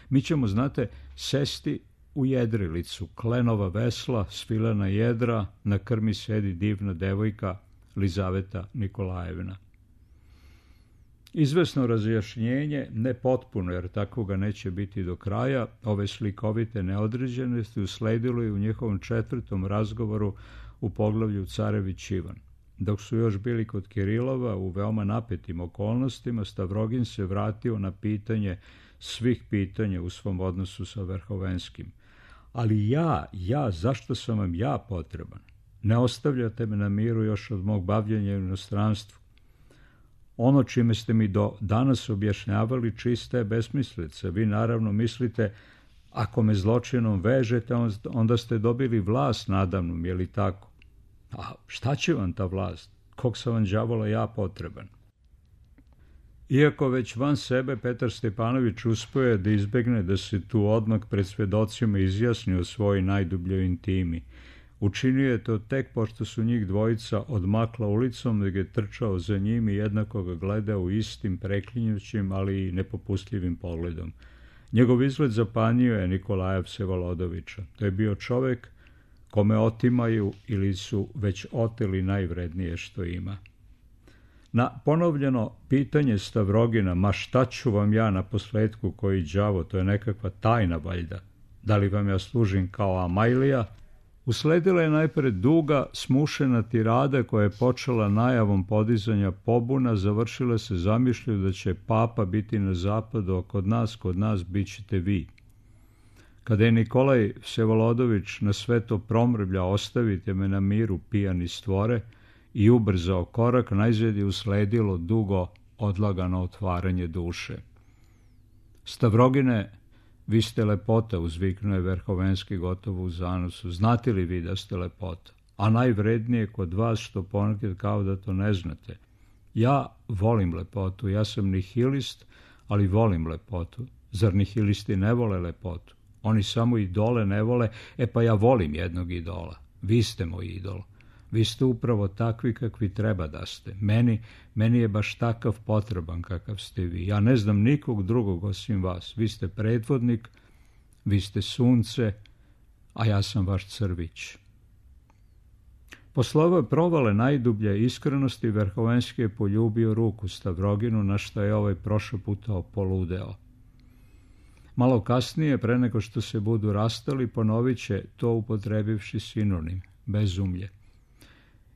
Mi ćemo, znate, sesti u jedrilicu, klenova vesla, svilena jedra, na krmi sedi divna devojka Lizaveta Nikolajevna. Izvesno razjašnjenje, ne potpuno, jer takvoga neće biti do kraja, ove slikovite neodređenosti usledilo je u njihovom četvrtom razgovoru u poglavlju Carević Ivan. Dok su još bili kod Kirilova u veoma napetim okolnostima, Stavrogin se vratio na pitanje svih pitanja u svom odnosu sa Verhovenskim. Ali ja, ja, zašto sam vam ja potreban? Ne ostavljate me na miru još od mog bavljenja u inostranstvu. Ono čime ste mi do danas objašnjavali čista je besmislica. Vi naravno mislite, ako me zločinom vežete, onda ste dobili vlast nadamnom, je li tako? A šta će vam ta vlast? Kog sam vam đavola ja potreban? Iako već van sebe, Petar Stepanović uspio je da izbegne da se tu odmah pred svjedocima izjasni o svojoj najdubljoj intimi. Učinio je to tek pošto su njih dvojica odmakla ulicom, da je trčao za njim i jednako ga gledao istim preklinjućim, ali i nepopustljivim pogledom. Njegov izgled zapanjio je Nikolaja Vsevolodovića. To je bio čovek kome otimaju ili su već oteli najvrednije što ima. Na ponovljeno pitanje Stavrogina, ma šta ću vam ja na posledku koji đavo, to je nekakva tajna valjda, da li vam ja služim kao Amajlija, usledila je najpred duga, smušena tirada koja je počela najavom podizanja pobuna, završila se zamišlju da će papa biti na zapadu, a kod nas, kod nas bit ćete vi. Kada je Nikolaj Vsevolodović na sve to promrvlja ostavite me na miru pijani stvore i ubrzao korak, najzad je usledilo dugo odlagano otvaranje duše. Stavrogine, vi ste lepota, uzviknuo je Verhovenski gotovo u zanosu. Znate li vi da ste lepota? A najvrednije kod vas što ponekad kao da to ne znate. Ja volim lepotu, ja sam nihilist, ali volim lepotu. Zar nihilisti ne vole lepotu? Oni samo idole ne vole, e pa ja volim jednog idola. Vi ste moj idol. Vi ste upravo takvi kakvi treba da ste. Meni, meni je baš takav potreban kakav ste vi. Ja ne znam nikog drugog osim vas. Vi ste predvodnik, vi ste sunce, a ja sam vaš crvić. Posle ove provale najdublje iskrenosti, Verhovenski je poljubio ruku Stavroginu, na što je ovaj prošaputao poludeo. Malo kasnije, pre nego što se budu rastali, ponovit će to upotrebivši sinonim, bezumlje.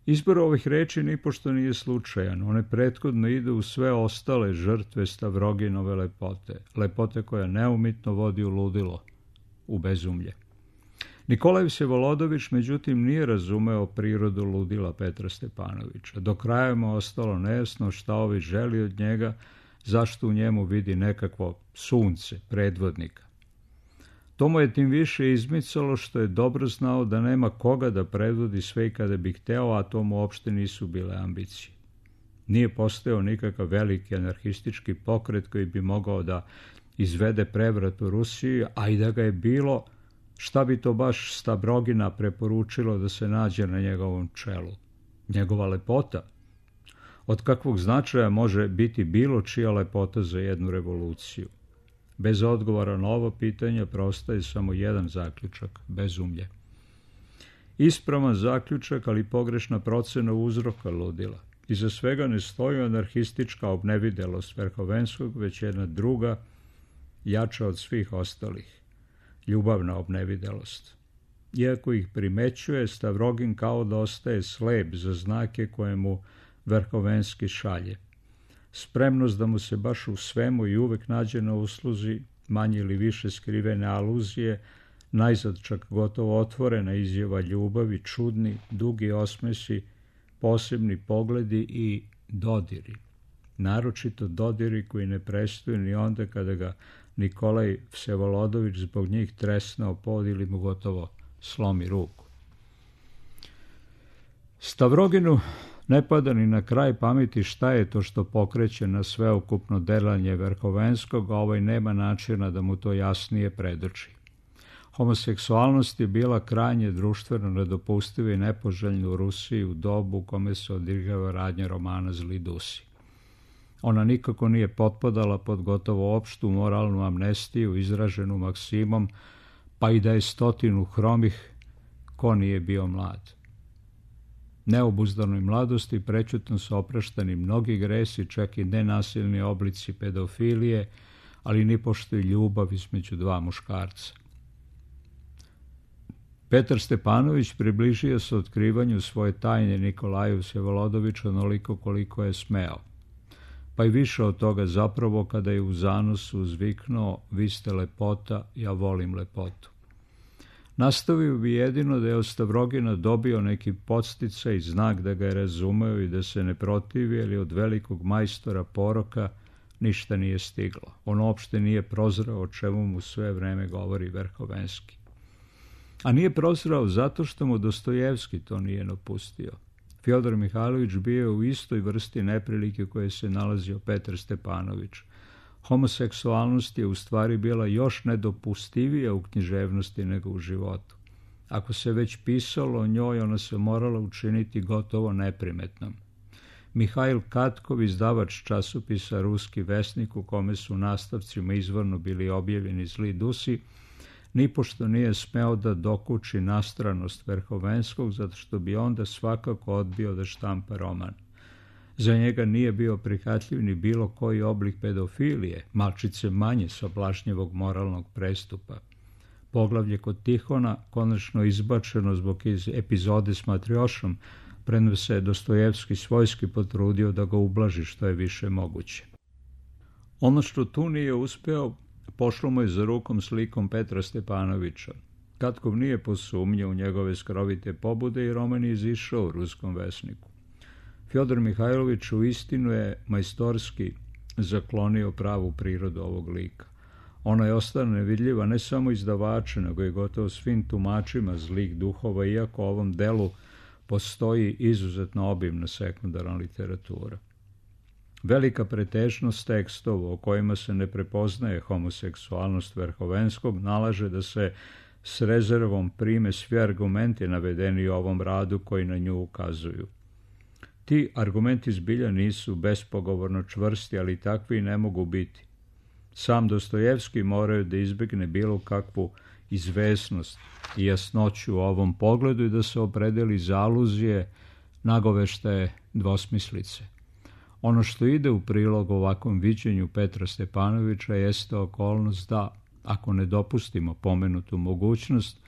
Izbor ovih reči nipošto nije slučajan, one prethodno idu u sve ostale žrtve Stavroginove lepote, lepote koja neumitno vodi u ludilo, u bezumlje. Nikolaj Vsevolodović, međutim, nije razumeo prirodu ludila Petra Stepanovića. Do kraja mu ostalo nejasno šta ovi želi od njega, zašto u njemu vidi nekakvo sunce, predvodnika. To mu je tim više izmicalo što je dobro znao da nema koga da predvodi sve kada bi hteo, a to mu uopšte nisu bile ambicije. Nije postojao nikakav veliki anarhistički pokret koji bi mogao da izvede prevrat u Rusiji, a i da ga je bilo, šta bi to baš Stavrogina preporučilo da se nađe na njegovom čelu? Njegova lepota? Od kakvog značaja može biti bilo čija lepota za jednu revoluciju? Bez odgovora na ovo pitanje prostaje samo jedan zaključak, bezumlje. Ispravan zaključak, ali pogrešna procena uzroka ludila. Iza svega ne stoji anarhistička obnevidelost Verhovenskog, već jedna druga, jača od svih ostalih, ljubavna obnevidelost. Iako ih primećuje, Stavrogin kao da ostaje slep za znake koje mu Verhovenski šalje. Spremnost da mu se baš u svemu i uvek nađe na usluzi, manje ili više skrivene aluzije, najzad čak gotovo otvorena izjava ljubavi, čudni, dugi osmesi, posebni pogledi i dodiri. Naročito dodiri koji ne prestaju ni onda kada ga Nikolaj Vsevolodović zbog njih tresne o pod ili mu gotovo slomi ruku. Stavroginu ne pada ni na kraj pameti šta je to što pokreće na sveukupno delanje Verhovenskog, a ovaj nema načina da mu to jasnije predoči. Homoseksualnost je bila krajnje društveno nedopustiva i nepoželjna u Rusiji u dobu u kome se odigrava radnja romana Zli Dusi. Ona nikako nije potpadala pod gotovo opštu moralnu amnestiju izraženu maksimom, pa i da je stotinu hromih, ko nije bio mlad. Neobuzdanoj mladosti prečutno su opraštani mnogi gresi, čak i nenasilni oblici pedofilije, ali nipošto i ljubav između dva muškarca. Petar Stepanović približio se otkrivanju svoje tajne Nikolaju Vsevolodoviću onoliko koliko je smeo. Pa i više od toga zapravo kada je u zanosu uzviknuo: vi ste lepota, ja volim lepotu. Nastavio bi jedino da je od Stavrogina dobio neki podsticaj i znak da ga je razumeo i da se ne protivi, ali od velikog majstora poroka ništa nije stiglo. On uopšte nije prozreo o čemu mu sve vreme govori Verhovenski. A nije prozreo zato što mu Dostojevski to nije napustio. Fjodor Mihajlović bio je u istoj vrsti neprilike koje se nalazio Petar Stepanović. Homoseksualnost je u stvari bila još nedopustivija u književnosti nego u životu. Ako se već pisalo o njoj, ona se morala učiniti gotovo neprimetnom. Mihajl Katkov, izdavač časopisa Ruski vesnik, u kome su nastavcima izvorno bili objavljeni Zli Dusi, nipošto nije smeo da dokuči nastranost Verhovenskog, zato što bi onda svakako odbio da štampa roman. Za njega nije bio prihvatljiv ni bilo koji oblik pedofilije, malčice manje sablažnjevog moralnog prestupa. Poglavlje kod Tihona, konačno izbačeno zbog epizode s Matriošom, premda se Dostojevski svojski potrudio da ga ublaži što je više moguće. Ono što tu nije uspeo, pošlo mu je za rukom slikom Petra Stepanovića. Katkov nije posumnjao u njegove skrovite pobude i roman je izišao u Ruskom vesniku. Fjodor Mihajlović u istinu je majstorski zaklonio pravu prirodu ovog lika. Ona je ostala nevidljiva ne samo izdavaču, nego i gotovo svim tumačima zlih duhova, iako u ovom delu postoji izuzetno obimna sekundarna literatura. Velika pretežnost tekstova o kojima se ne prepoznaje homoseksualnost Verhovenskog nalaže da se s rezervom prime svi argumenti navedeni u ovom radu koji na nju ukazuju. Ti argumenti zbilja nisu bespogovorno čvrsti, ali takvi ne mogu biti. Sam Dostojevski morao da izbegne bilo kakvu izvesnost i jasnoću u ovom pogledu i da se opredeli za aluzije, nagoveštaje, dvosmislice. Ono što ide u prilog ovakvom viđenju Petra Stepanovića jeste okolnost da, ako ne dopustimo pomenutu mogućnost,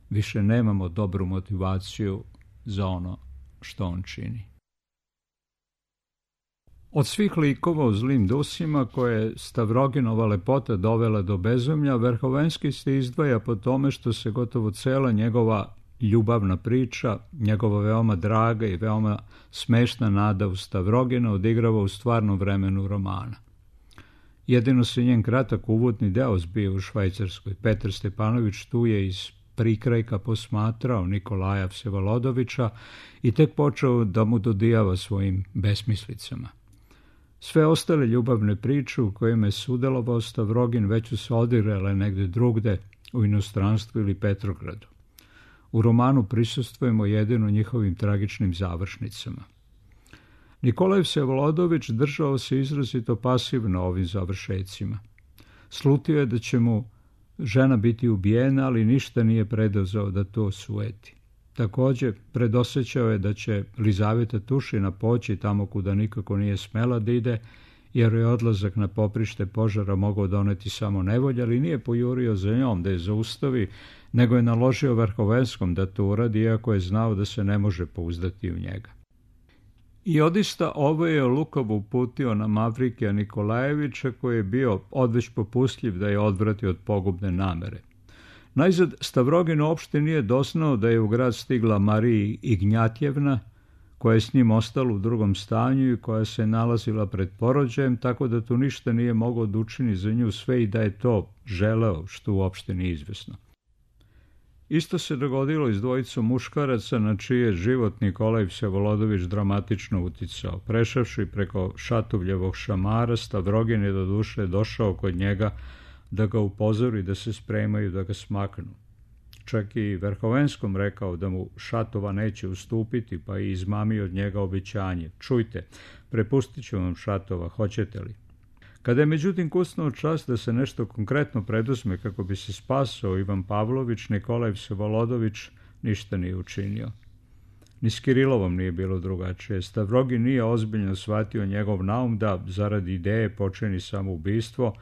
više nemamo dobru motivaciju za ono što on čini. Od svih likova u Zlim dusima koje je Stavroginova lepota dovela do bezumlja, Verhovenski se izdvaja po tome što se gotovo cela njegova ljubavna priča, njegova veoma draga i veoma smešna nada u Stavrogina odigrava u stvarnom vremenu romana. Jedino se njen kratak uvodni deo zbio u Švajcarskoj. Petar Stepanović tu je iz prikrajka posmatrao Nikolaja Vsevolodovića i tek počeo da mu dodijava svojim besmislicama. Sve ostale ljubavne priče u kojima je sudelovao Stavrogin već su se odigrale negde drugde, u inostranstvu ili Petrogradu. U romanu prisustvujemo jedino njihovim tragičnim završnicama. Nikolaj Vsevolodović držao se izrazito pasivno ovim završecima. Slutio je da će mu žena biti ubijena, ali ništa nije preduzeo da to osueti. Takođe, predosećao je da će Lizaveta Tušina poći tamo kuda nikako nije smela da ide, jer je odlazak na poprište požara mogao doneti samo nevolja, ali nije pojurio za njom da je zaustavi, nego je naložio Verhovenskom da to uradi, iako je znao da se ne može pouzdati u njega. I odista ovo je Lukov uputio na Mavrikija Nikolajevića, koji je bio odveć popustljiv da je odvrati od pogubne namere. Najzad, Stavrogin uopšte nije doznao da je u grad stigla Marija Ignjatjevna, koja je s njim ostala u drugom stanju i koja se nalazila pred porođajem, tako da tu ništa nije mogao da učini za nju sve i da je to želeo, što uopšte nije izvesno. Isto se dogodilo i s dvojicom muškaraca na čiji je život Nikolaj Vsevolodović dramatično uticao. Prešavši preko Šatuvljevog šamara, Stavrogin je do duše došao kod njega da ga upozori da se spremaju da ga smaknu. Čak i Verhovenskom rekao da mu Šatova neće ustupiti, pa i izmamio od njega obećanje. Čujte, prepustit ću vam Šatova, hoćete li? Kada je međutim kucnuo čas da se nešto konkretno preduzme kako bi se spasao Ivan Pavlović, Nikolaj Vsevolodović ništa nije učinio. Ni s Kirilovom nije bilo drugačije. Stavrogin nije ozbiljno shvatio njegov naum da zarad ideje počini samoubistvo,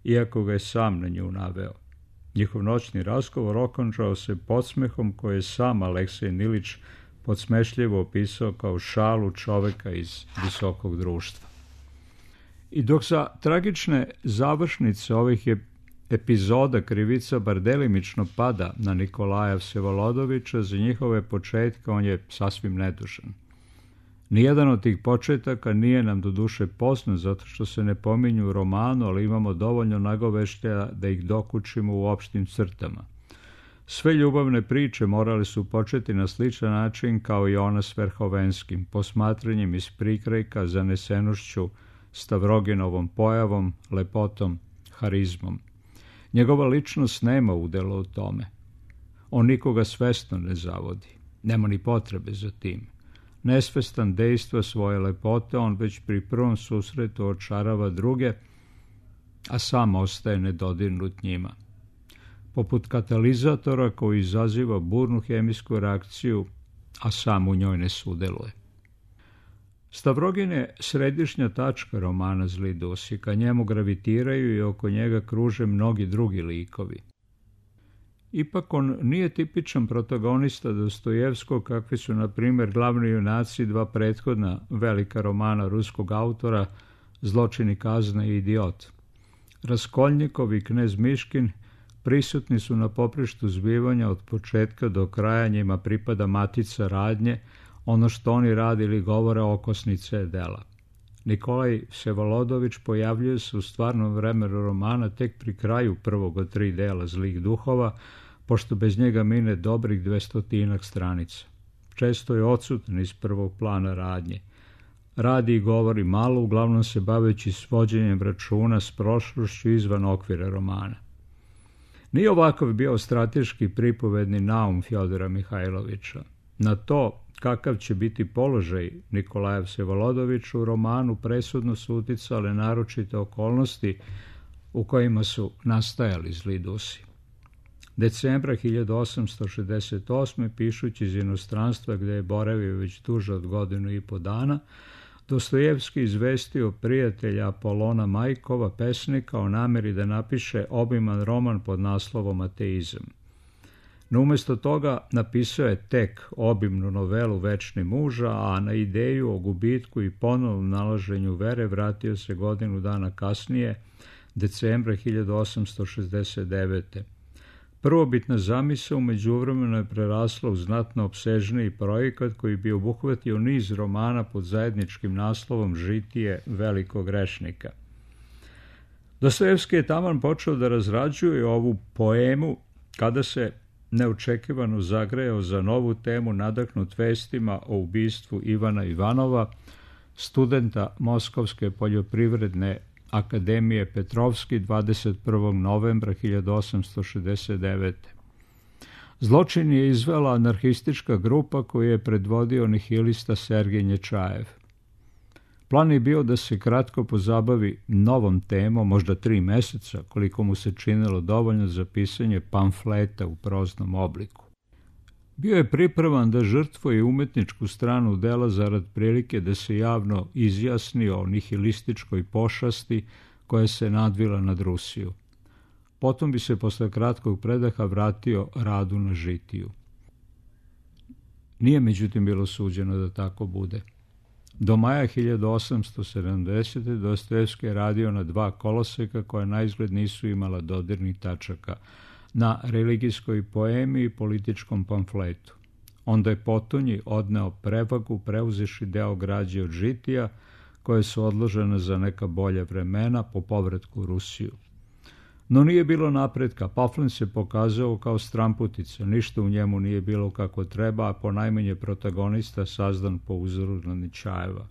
iako ga je sam na nju naveo. Njihov noćni razgovor okončao se podsmehom koje je sam Aleksej Nilić podsmešljivo opisao kao šalu čoveka iz visokog društva. I dok za tragične završnice ovih epizoda krivica bar delimično pada na Nikolaja Vsevolodovića, za njihove početke on je sasvim nedužan. Nijedan od tih početaka nije nam do duše poznat zato što se ne pominju u romanu, ali imamo dovoljno nagoveštaja da ih dokučimo u opštim crtama. Sve ljubavne priče morale su početi na sličan način kao i ona s Verhovenskim, posmatranjem iz prikrajka, zanesenošću, Stavroginovom pojavom, lepotom, harizmom. Njegova ličnost nema udela u tome. On nikoga svesno ne zavodi. Nema ni potrebe za tim. Nesvestan dejstva svoje lepote, on već pri prvom susretu očarava druge, a sam ostaje nedodirnut njima. Poput katalizatora koji izaziva burnu hemijsku reakciju, a sam u njoj ne sudeluje. Stavrogin je središnja tačka romana Zli dusi, ka njemu gravitiraju i oko njega kruže mnogi drugi likovi. Ipak on nije tipičan protagonista Dostojevskog, kakvi su, na primjer, glavni junaci dva prethodna velika romana ruskog autora Zločin i kazna i Idiot. Raskolnikov i knez Miškin prisutni su na poprištu zbivanja od početka do kraja, njima pripada matica radnje, ono što oni radili govore okosnice dela. Nikolaj Vsevolodović pojavljuje se u stvarnom vremenu romana tek pri kraju prvog od tri dela Zlih duhova, pošto bez njega mine dobrih dvestotinak stranica. Često je odsutan iz prvog plana radnje. Radi i govori malo, uglavnom se baveći svođenjem računa s prošlošću izvan okvira romana. Nije ovakav bio strateški pripovedni naum Fjodora Mihajlovića. Na to kakav će biti položaj Nikolaja Vsevolodovića u romanu presudno su uticale naročite okolnosti u kojima su nastajali Zli dusi. Decembra hiljadu osamsto šezdeset osme, pišući iz inostranstva gde je boravio već duže od godinu i po dana, Dostojevski izvestio prijatelja Apolona Majkova, pesnika, o nameri da napiše obiman roman pod naslovom Ateizam. No umjesto toga napisao je tek obimnu novelu Večni muža, a na ideju o gubitku i ponovnom nalaženju vere vratio se godinu dana kasnije, decembra hiljadu osamsto šezdeset devete. Prvobitna zamisao u međuvremenu je prerasla u znatno opsežniji projekat koji bi obuhvatio niz romana pod zajedničkim naslovom Žitije velikog grešnika. Dostojevski je taman počeo da razrađuje ovu poemu kada se neočekivano zagrejao za novu temu nadahnut vestima o ubistvu Ivana Ivanova, studenta Moskovske poljoprivredne akademije Petrovski dvadeset prvog novembra hiljadu osamsto šezdeset devete. Zločin je izvela anarhistička grupa koju je predvodio nihilista Sergej Nječajev. Plan je bio da se kratko pozabavi novom temom, možda tri meseca, koliko mu se činilo dovoljno za pisanje pamfleta u proznom obliku. Bio je pripravan da žrtvuje umetničku stranu dela zarad prilike da se javno izjasni o nihilističkoj pošasti koja se nadvila nad Rusiju. Potom bi se posle kratkog predaha vratio radu na Žitiju. Nije međutim bilo suđeno da tako bude. Do maja hiljadu osamsto sedamdesete. Dostojevski je radio na dva koloseka koja naizgled nisu imala dodirnih tačaka, na religijskoj poemi i političkom pamfletu. Onda je potonji odneo prevagu, preuzeši deo građe od Žitija, koje su odložene za neka bolja vremena po povratku u Rusiju. No nije bilo napretka, pamflet se pokazao kao stramputica, ništa u njemu nije bilo kako treba, a ponajmanje protagonista sazdan po uzoru na Nječajeva.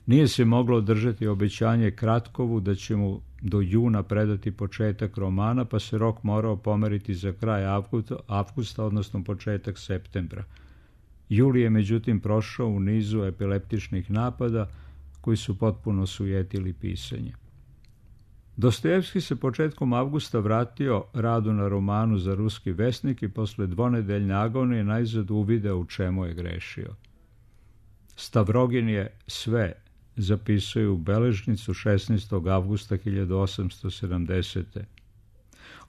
Nije se moglo održati obećanje Kratkovu da će mu do juna predati početak romana, pa se rok morao pomeriti za kraj avgusta, avgusta odnosno početak septembra. Juli je međutim prošao u nizu epileptičnih napada koji su potpuno sujetili pisanje. Dostojevski se početkom avgusta vratio radu na romanu za Ruski vesnik i posle dvonedeljne agonije najzad uvideo u čemu je grešio. Stavrogin je sve zapisuje u beležnicu šesnaestog avgusta hiljadu osamsto sedamdesete.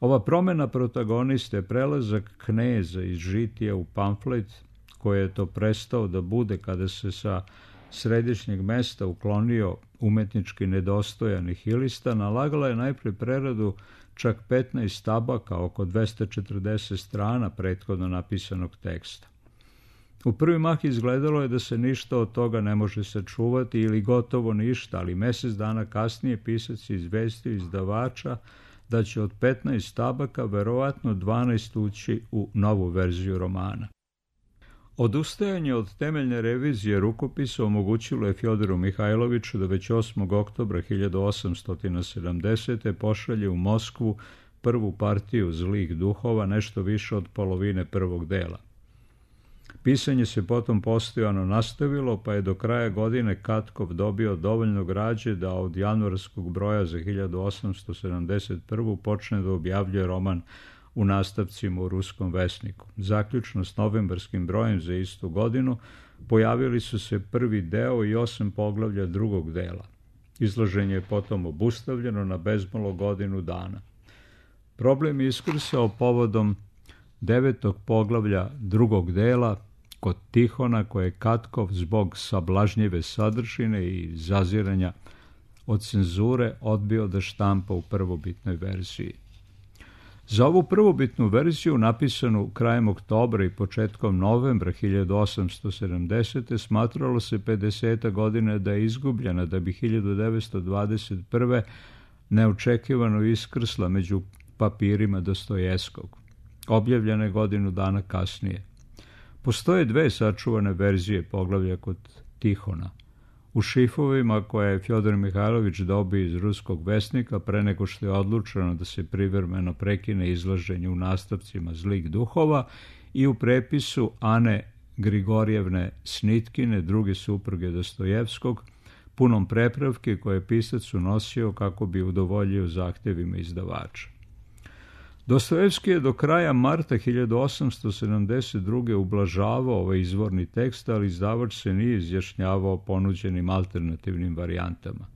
Ova promjena protagoniste, prelazak kneza iz Žitija u pamflet, koji je to prestao da bude kada se sa središnjeg mesta uklonio umetnički nedostojan nihilista, nalagala je najprije preradu čak petnaest tabaka, oko dvesta četrdeset strana prethodno napisanog teksta. U prvi mah izgledalo je da se ništa od toga ne može sačuvati ili gotovo ništa, ali mjesec dana kasnije pisac je izvestio izdavača da će od petnaest tabaka verovatno dvanaest ući u novu verziju romana. Odustajanje od temeljne revizije rukopisa omogućilo je Fjodoru Mihajloviću da već osmog oktobra hiljadu osamsto sedamdesete. pošalje u Moskvu prvu partiju Zlih duhova, nešto više od polovine prvog dela. Pisanje se potom postojano nastavilo, pa je do kraja godine Katkov dobio dovoljno građe da od januarskog broja za hiljadu osamsto sedamdeset prvu. počne da objavljuje roman u nastavcima u Ruskom vesniku. Zaključno s novembarskim brojem za istu godinu pojavili su se prvi deo i osam poglavlja drugog dela. Izloženje je potom obustavljeno na bezmalo godinu dana. Problem je iskrsao povodom devetog poglavlja drugog dela kod Tihona, koje je Katkov zbog sablažnjive sadržine i zaziranja od cenzure odbio da štampa u prvobitnoj verziji. Za ovu prvobitnu verziju, napisanu krajem oktobra i početkom novembra hiljadu osamsto sedamdesete. smatralo se pedeseta godina da je izgubljena, da bi hiljadu devetsto dvadeset prve. neočekivano iskrsla među papirima Dostojevskog. Objavljena je godinu dana kasnije. Postoje dve sačuvane verzije poglavlja kod Tihona. U šifovima koje je Fjodor Mihajlović dobio iz Ruskog vesnika pre nego što je odlučeno da se privremeno prekine izlaženje u nastavcima Zlih duhova i u prepisu Ane Grigorjevne Snitkine, druge supruge Dostojevskog, punom prepravke koje je pisac unosio kako bi udovoljio zahtjevima izdavača. Dostojevski je do kraja marta hiljadu osamsto sedamdeset druge. ublažavao ovaj izvorni tekst, ali izdavač se nije izjašnjavao o ponuđenim alternativnim varijantama.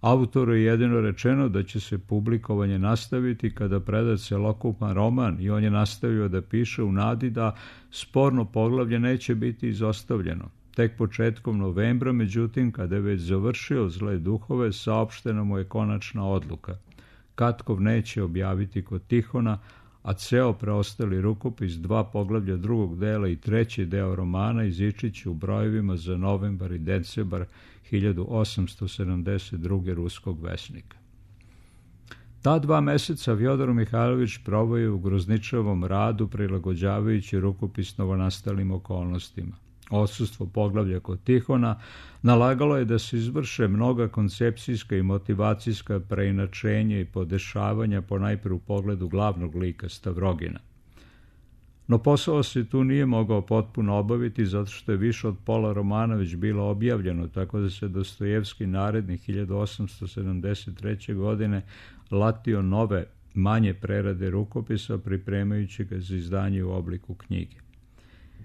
Autoru je jedino rečeno da će se publikovanje nastaviti kada preda celokupan roman i on je nastavio da piše u nadi da sporno poglavlje neće biti izostavljeno. Tek početkom novembra, međutim, kada je već završio Zle duhove, saopštena mu je konačna odluka. Katkov neće objaviti kod Tihona, a ceo preostali rukopis, dva poglavlja drugog dela i treći deo romana izići će u brojevima za novembar i decembar hiljadu osamsto sedamdeset druge ruskog vesnika. Ta dva meseca Fjodor Mihajlović proveo je u grozničavom radu, prilagođavajući rukopis novonastalim okolnostima. Odsustvo poglavlja kod Tihona nalagalo je da se izvrše mnoga koncepcijska i motivacijska preinačenja i podešavanja ponajpre u pogledu glavnog lika Stavrogina. No posao se tu nije mogao potpuno obaviti zato što je više od pola romana već bilo objavljeno, tako da se Dostojevski narednih hiljadu osamsto sedamdeset treće. godine latio nove, manje prerade rukopisa, pripremajući ga za izdanje u obliku knjige.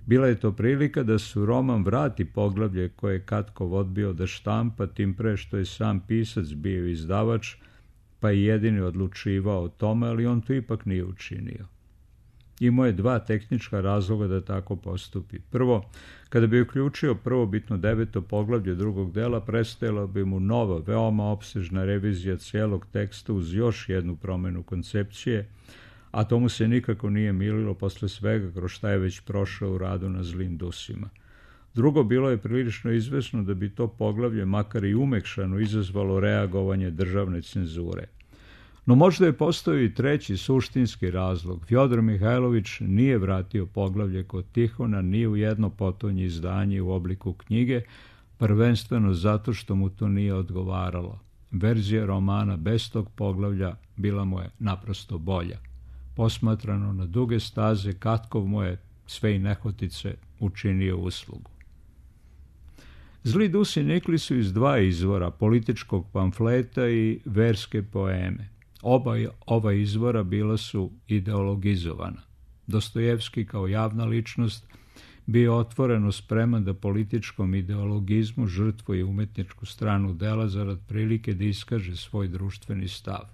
Bila je to prilika da se u roman vrati poglavlje koje je Katkov odbio da štampa, tim pre što je sam pisac bio izdavač, pa i jedini odlučivao o tome, ali on to ipak nije učinio. Imao je dva tehnička razloga da tako postupi. Prvo, kada bi uključio prvobitno deveto poglavlje drugog dela, prestajala bi mu nova, veoma opsežna revizija cijelog teksta uz još jednu promenu koncepcije, a to mu se nikako nije mililo posle svega kroz šta je već prošao u radu na Zlim dusima. Drugo, bilo je prilično izvesno da bi to poglavlje, makar i umekšano, izazvalo reagovanje državne cenzure. No možda je postojao i treći suštinski razlog. Fjodor Mihajlović nije vratio poglavlje kod Tihona ni u jedno potonje izdanje u obliku knjige, prvenstveno zato što mu to nije odgovaralo. Verzija romana bez tog poglavlja bila mu je naprosto bolja. Posmatrano na duge staze, Katkov mu je sve i nehotice učinio uslugu. Zli dusi nikli su iz dva izvora, političkog pamfleta i verske poeme. Oba ova izvora bila su ideologizovana. Dostojevski kao javna ličnost bio otvoreno spreman da političkom ideologizmu žrtvuje umetničku stranu dela zarad prilike da iskaže svoj društveni stav.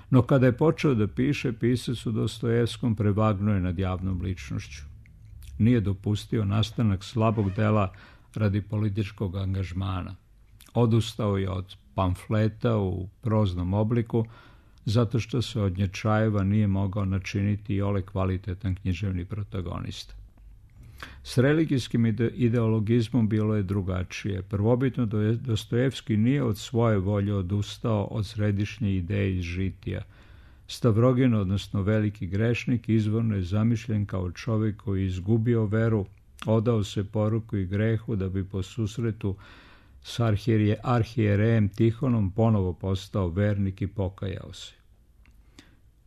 No kada je počeo da piše, pisac u Dostojevskom prevagnuo je nad javnom ličnošću. Nije dopustio nastanak slabog dela radi političkog angažmana. Odustao je od pamfleta u proznom obliku, zato što se od Nječajeva nije mogao načiniti i ole kvalitetan književni protagonista. S religijskim ideologizmom bilo je drugačije. Prvobitno Dostojevski nije od svoje volje odustao od središnje ideje iz Žitija. Stavrogin, odnosno veliki grešnik, izvorno je zamišljen kao čovjek koji je izgubio veru, odao se poruku i grehu da bi po susretu s arhijerejem Tihonom ponovo postao vernik i pokajao se.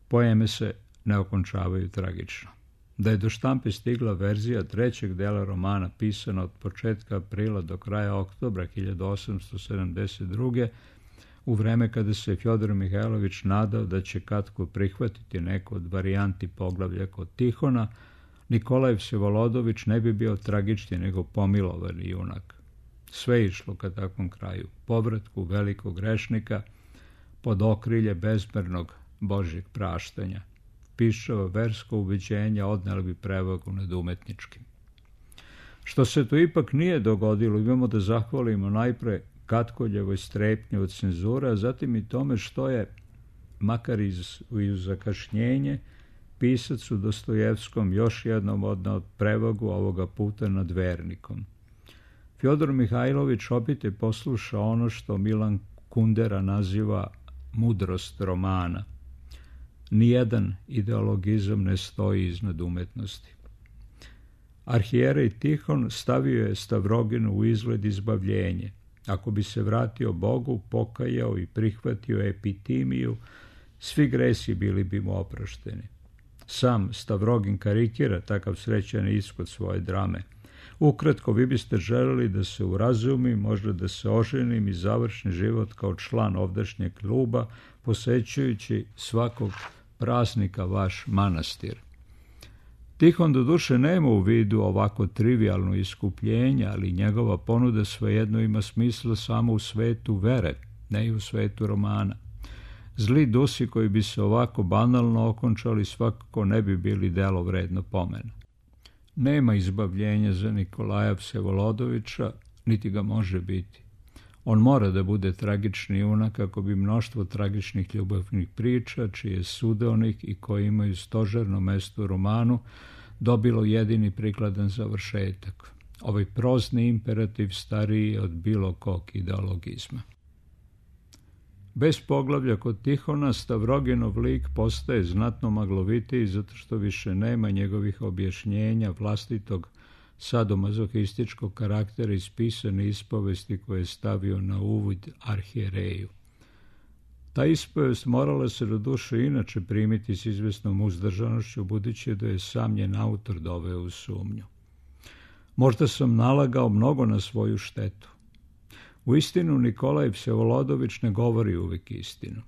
Poeme se ne okončavaju tragično. Da je do štampe stigla verzija trećeg dela romana pisana od početka aprila do kraja oktobra hiljadu osamsto sedamdeset druge. u vreme kada se Fjodor Mihajlović nadao da će Katkov prihvatiti neku od varijanti poglavlja kod Tihona, Nikolaj Vsevolodović ne bi bio tragični nego pomilovani junak. Sve išlo ka takvom kraju, povratku velikog grešnika pod okrilje bezmernog Božjeg praštanja. Pišava versko ubeđenja odnela bi prevagu nad umetničkim. Što se to ipak nije dogodilo, imamo da zahvalimo najpre Katkoljevoj strepnji od cenzura, a zatim i tome što je, makar iz, iz zakašnjenje, pisac u Dostojevskom još jednom odnao prevagu, ovoga puta nad vernikom. Fjodor Mihajlović opet je poslušao ono što Milan Kundera naziva mudrost romana. Nijedan ideologizam ne stoji iznad umetnosti. Arhijerej Tihon stavio je Stavroginu u izgled izbavljenje. Ako bi se vratio Bogu, pokajao i prihvatio epitimiju, svi gresi bili bi mu oprošteni. Sam Stavrogin karikira takav srećan ishod svoje drame. Ukratko, vi biste želeli da se urazumim, možda da se oženim i završim život kao član ovdašnjeg kluba, posećujući svakog praznika vaš manastir. Tihon doduše nema u vidu ovako trivijalno iskupljenje, ali njegova ponuda svejedno ima smisla samo u svetu vere, ne i u svetu romana. Zli dusi koji bi se ovako banalno okončali svakako ne bi bili delo vredno pomena. Nema izbavljenja za Nikolaja Vsevolodovića, niti ga može biti. On mora da bude tragični junak kako bi mnoštvo tragičnih ljubavnih priča, čiji je sudeonik i koji imaju stožerno mesto u romanu, dobilo jedini prikladan završetak. Ovaj prozni imperativ stariji je od bilo kog ideologizma. Bez poglavlja kod Tihona, Stavroginov lik postaje znatno maglovitiji zato što više nema njegovih objašnjenja vlastitog sadomazohističkog karaktera iz pisane ispovesti koje je stavio na uvod arhijereju. Ta ispovest morala se do duše inače primiti s izvesnom uzdržanošću, budući da je sam njen autor doveo u sumnju. Možda sam nalagao mnogo na svoju štetu. U istinu Nikolaj Vsevolodović ne govori uvijek istinu.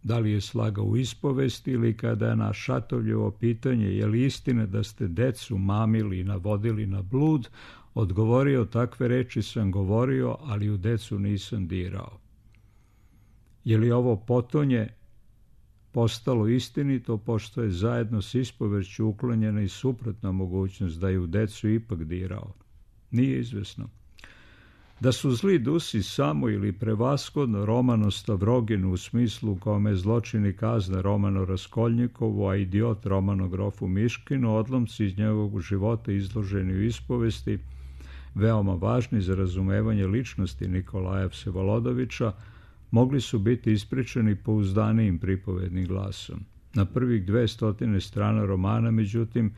Da li je slagao u ispovesti ili kada je na Šatovljevo pitanje je li istina da ste decu mamili i navodili na blud, odgovorio takve reči sam govorio, ali u decu nisam dirao. Je li ovo potonje postalo istinito, pošto je zajedno s ispovešću uklonjena i suprotna mogućnost da je u decu ipak dirao? Nije izvesno. Da su zli dusi samo ili prevashodno Romano Stavroginu u smislu u kome je zločin i kazna Romano Raskolnikovu, a idiot Romano Grofu Miškinu, odlomci iz njegovog života izloženi u ispovesti, veoma važni za razumevanje ličnosti Nikolaja Vsevolodovića, mogli su biti ispričani pouzdanijim pripovednim glasom. Na prvih dve stotine strana romana, međutim,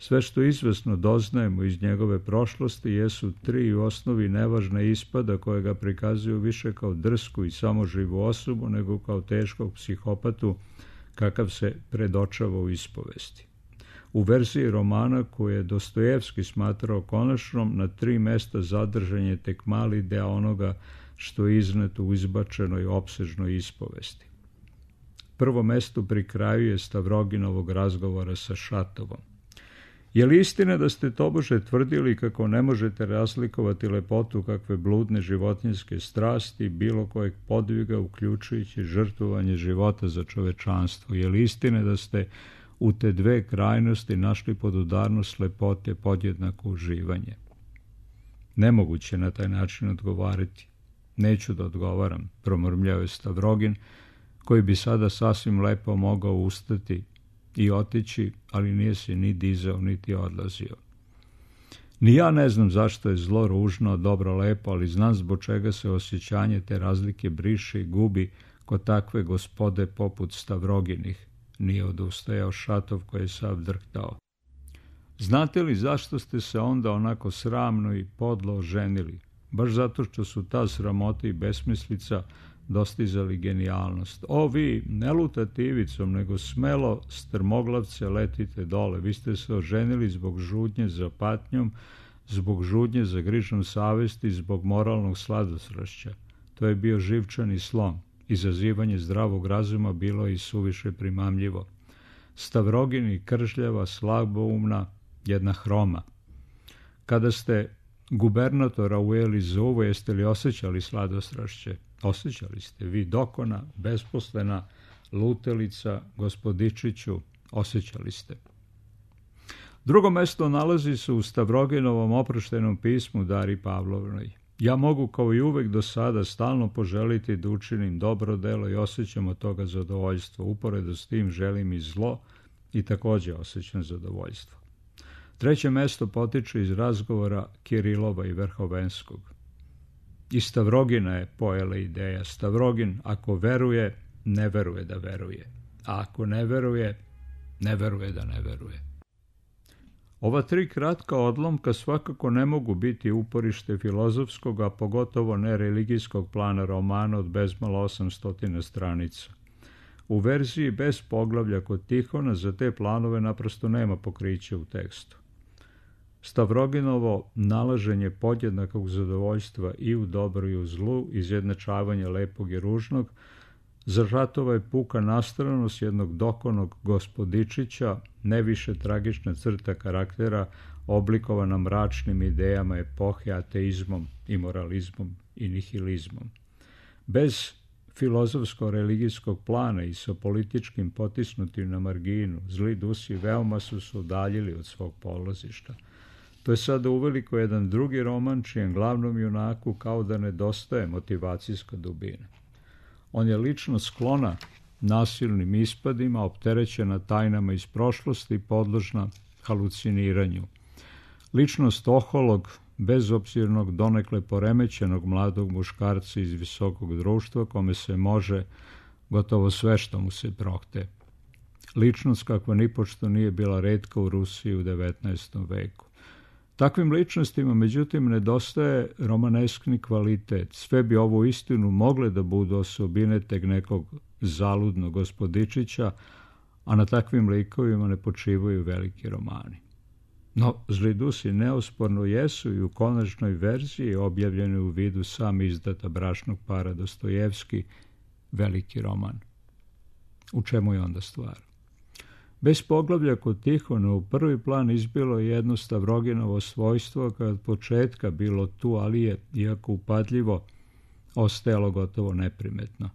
sve što izvesno doznajemo iz njegove prošlosti jesu tri u osnovi nevažna ispada koje ga prikazuju više kao drsku i samoživu osobu nego kao teškog psihopatu kakav se predočava u ispovesti. U verziji romana koju je Dostojevski smatrao konačnom, na tri mesta zadržan je tek mali deo onoga što je izneto u izbačenoj opsežnoj ispovesti. Prvo mesto pri kraju je Stavroginovog razgovora sa Šatovom. Je li istina da ste tobože tvrdili kako ne možete razlikovati lepotu kakve bludne životinjske strasti bilo kojeg podviga, uključujući žrtvovanje života za čovečanstvo? Je li istina da ste u te dve krajnosti našli podudarnost lepote podjednako uživanje? Nemoguće na taj način odgovarati. Neću da odgovaram, promrmljao je Stavrogin, koji bi sada sasvim lepo mogao ustati i otići, ali nije se ni dizao, niti odlazio. Ni ja ne znam zašto je zlo ružno, dobro lepo, ali znam zbog čega se osjećanje te razlike briše i gubi kod takve gospode poput Stavroginih. Nije odustajao Šatov koji je sav drhtao. Znate li zašto ste se onda onako sramno i podlo oženili? Baš zato što su ta sramota i besmislica dostizali genijalnost. O vi, ne lutate ivicom, nego smelo strmoglavce letite dole. Vi ste se oženili zbog žudnje za patnjom, zbog žudnje za grižom savesti, zbog moralnog sladosršća. To je bio živčani slom. Izazivanje zdravog razuma bilo je i suviše primamljivo. Stavrogin i kržljava, slaboumna, jedna hroma. Kada ste gubernatora ujeli za uvo, jeste li osjećali sladostrašće? Osjećali ste vi, dokona, besposlena, lutelica, gospodičiću, osjećali ste. Drugo mesto nalazi se u Stavroginovom oproštenom pismu Dari Pavlovnoj. Ja mogu kao i uvek do sada stalno poželiti da učinim dobro delo i osjećam od toga zadovoljstvo. Uporedo s tim želim i zlo i također osjećam zadovoljstvo. Treće mesto potiče iz razgovora Kirilova i Verhovenskog. Iz Stavrogina je pojela ideja. Stavrogin, ako veruje, ne veruje da veruje. A ako ne veruje, ne veruje da ne veruje. Ova tri kratka odlomka svakako ne mogu biti uporište filozofskog, a pogotovo ne religijskog plana romana od bezmalo osamsto stranica. U verziji bez poglavlja kod Tihona za te planove naprosto nema pokrića u tekstu. Stavroginovo nalaženje podjednakog zadovoljstva i u dobru i u zlu, izjednačavanje lepog i ružnog, za Šatova je puka nastranost jednog dokonog gospodičića, ne više tragična crta karaktera, oblikovana mračnim idejama epohe, ateizmom, imoralizmom i nihilizmom. Bez filozofsko-religijskog plana i sa političkim potisnutim na marginu, zli dusi veoma su se udaljili od svog polazišta. To je sada uveliko jedan drugi roman čijem glavnom junaku kao da nedostaje motivacijska dubina. On je lično sklona nasilnim ispadima, opterećena tajnama iz prošlosti i podložna haluciniranju. Ličnost oholog, bezobzirnog, donekle poremećenog mladog muškarca iz visokog društva kome se može gotovo sve što mu se prohte. Ličnost kakva nipošto nije bila retka u Rusiji u devetnaestom veku. Takvim ličnostima, međutim, nedostaje romaneskni kvalitet. Sve bi ovo istinu mogle da budu osobine tek nekog zaludnog gospodičića, a na takvim likovima ne počivaju veliki romani. No, Zli dusi neosporno jesu i u konačnoj verziji objavljeni u vidu sam izdata bračnog para Dostojevski veliki roman. U čemu je onda stvar? Bez poglavlja kod Tihona u prvi plan izbilo je jedno Stavroginovo svojstvo koje od početka bilo tu, ali je, iako upadljivo, ostajalo gotovo neprimetno.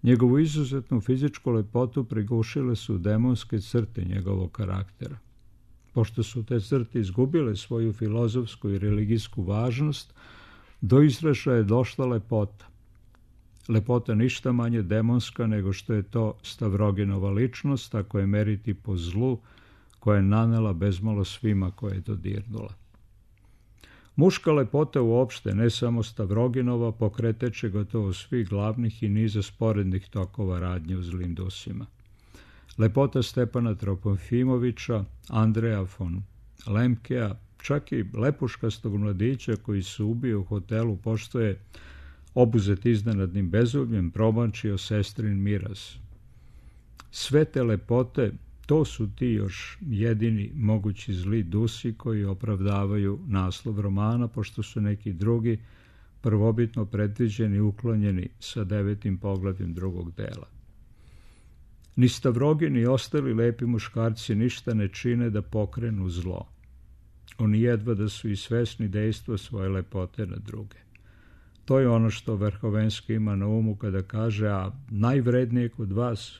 Njegovu izuzetnu fizičku lepotu prigušile su demonske crte njegovog karaktera. Pošto su te crte izgubile svoju filozofsku i religijsku važnost, do izražaja je došla lepota. Lepota ništa manje demonska nego što je to Stavroginova ličnost, ako je meriti po zlu koja je nanela bezmalo svima koje je dodirnula. Muška lepota uopšte, ne samo Stavroginova, pokreteće gotovo svih glavnih i niza sporednih tokova radnje u Zlim dusima. Lepota Stepana Trofimovića, Andreja von Lemkea, čak i lepuškastog mladića koji se ubio u hotelu pošto je obuzet iznenadnim bezubljem promačio sestrin miraz. Sve te lepote, to su ti još jedini mogući zli dusi koji opravdavaju naslov romana, pošto su neki drugi prvobitno predviđeni i uklonjeni sa devetim poglavljem drugog dela. Ni Stavrogin ni ostali lepi muškarci ništa ne čine da pokrenu zlo. Oni jedva da su i svesni dejstva svoje lepote na druge. To je ono što Verhovenski ima na umu kada kaže, a najvrednije kod vas,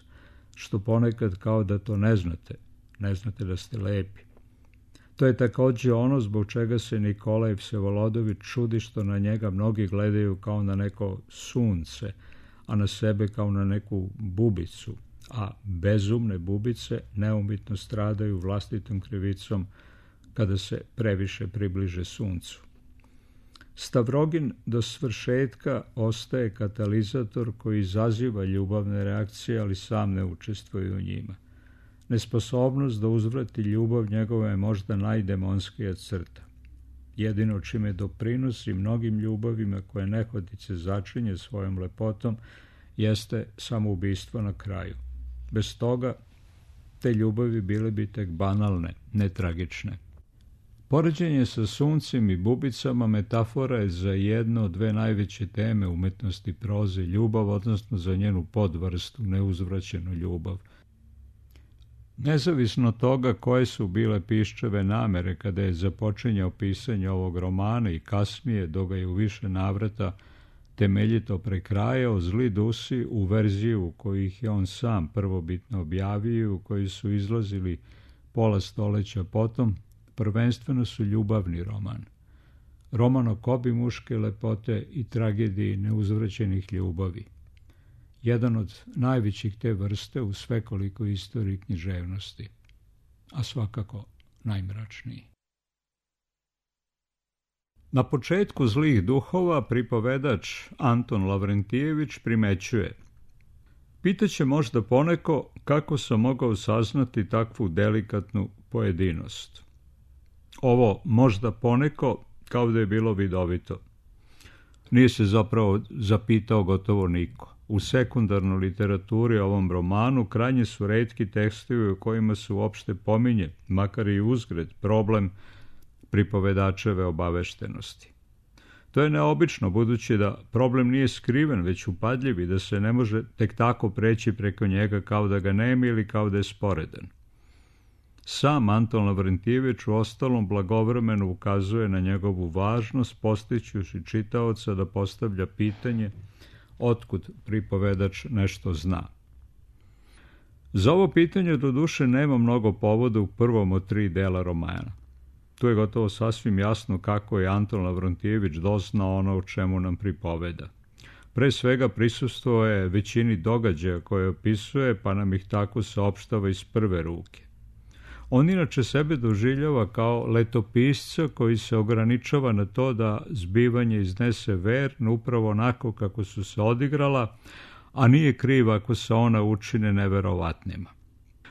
što ponekad kao da to ne znate, ne znate da ste lepi. To je također ono zbog čega se Nikolaj Vsevolodović čudi što na njega mnogi gledaju kao na neko sunce, a na sebe kao na neku bubicu, a bezumne bubice neumitno stradaju vlastitom krivicom kada se previše približe suncu. Stavrogin do svršetka ostaje katalizator koji izaziva ljubavne reakcije, ali sam ne učestvuje u njima. Nesposobnost da uzvrati ljubav njegova je možda najdemonskija crta. Jedino čime doprinosi mnogim ljubavima koje nehotice začinje svojom lepotom jeste samoubistvo na kraju. Bez toga te ljubavi bile bi tek banalne, ne tragične. Poređenje sa suncem i bubicama metafora je za jedno od dve najveće teme umetnosti proze, ljubav, odnosno za njenu podvrstu, neuzvraćenu ljubav. Nezavisno toga koje su bile Piščeve namere kada je započinjao pisanje ovog romana i kasnije, dok ga je u više navrata temeljito prekrajao, Zli dusi u verziju u kojih je on sam prvobitno objavio, u koji su izlazili pola stoleća potom, prvenstveno su ljubavni roman. Roman o kobi muške lepote i tragediji neuzvraćenih ljubavi. Jedan od najvećih te vrste u svekolikoj istoriji književnosti, a svakako najmračniji. Na početku Zlih duhova pripovedač Anton Lavrentijević primećuje: pitaće možda poneko kako sam mogao saznati takvu delikatnu pojedinost. Ovo možda poneko kao da je bilo vidovito. Nije se zapravo zapitao gotovo niko. U sekundarnoj literaturi ovom romanu krajnje su retki tekstovi u kojima se uopšte pominje, makar i uzgred, problem pripovedačeve obaveštenosti. To je neobično, budući da problem nije skriven, već upadljiv i da se ne može tek tako preći preko njega kao da ga nema ili kao da je sporedan. Sam Anton Lavrentijević u ostalom blagovremeno ukazuje na njegovu važnost, postićući čitaoca da postavlja pitanje otkud pripovedač nešto zna. Za ovo pitanje doduše nema mnogo povoda u prvom od tri dela romana. Tu je gotovo sasvim jasno kako je Anton Lavrontijević doznao ono o čemu nam pripoveda. Pre svega prisustvovao je većini događaja koje opisuje, pa nam ih tako saopštava iz prve ruke. On inače sebe doživljava kao letopisca koji se ograničava na to da zbivanje iznese verno upravo onako kako su se odigrala, a nije kriv ako se ona učine neverovatnima.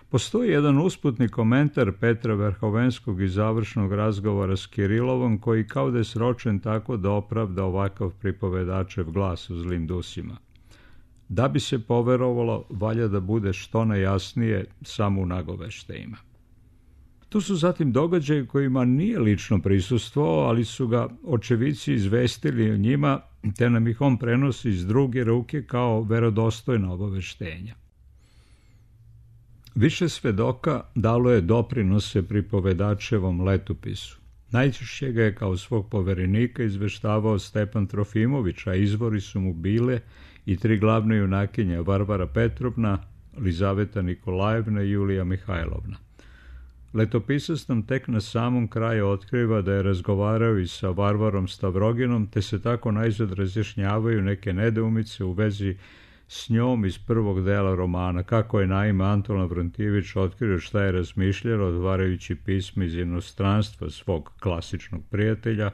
Postoji jedan usputni komentar Petra Verhovenskog iz završnog razgovora s Kirilovom koji kao da je sročen tako da opravda ovakav pripovedačev glas u Zlim dusima. Da bi se poverovalo, valja da bude što najjasnije samo u nagoveštajima. Tu su zatim događaji kojima nije lično prisustvovao, ali su ga očevici izvestili o njima, te nam ih on prenosi iz druge ruke kao verodostojna obaveštenja. Više svedoka dalo je doprinose pripovedačevom letopisu. Najčešće ga je kao svog poverenika izveštavao Stepan Trofimović, a izvori su mu bile i tri glavne junakinje Varvara Petrovna, Lizaveta Nikolajevna i Julija Mihajlovna. Letopisac nam tek na samom kraju otkriva da je razgovarao i sa Varvarom Stavroginom, te se tako najzad razjašnjavaju neke nedoumice u vezi s njom iz prvog dela romana, kako je naime Anton Lavrontijević otkrio šta je razmišljao otvarajući pismo iz inostranstva svog klasičnog prijatelja,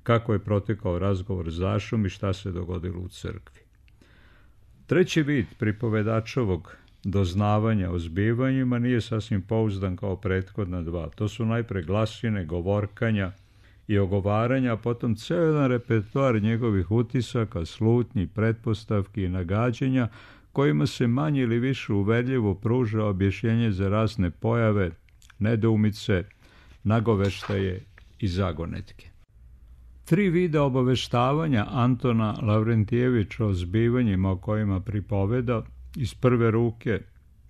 kako je protekao razgovor s Dašom i šta se dogodilo u crkvi. Treći vid pripovedačovog doznavanja o zbivanjima nije sasvim pouzdan kao prethodna dva. To su najpre glasine, govorkanja i ogovaranja, a potom ceo jedan repertoar njegovih utisaka, slutnji, pretpostavki i nagađanja, kojima se manje ili više uverljivo pruža objašnjenje za razne pojave, nedoumice, nagoveštaje i zagonetke. Tri vida obaveštavanja Antona Lavrontijevića o zbivanjima o kojima pripoveda, iz prve ruke,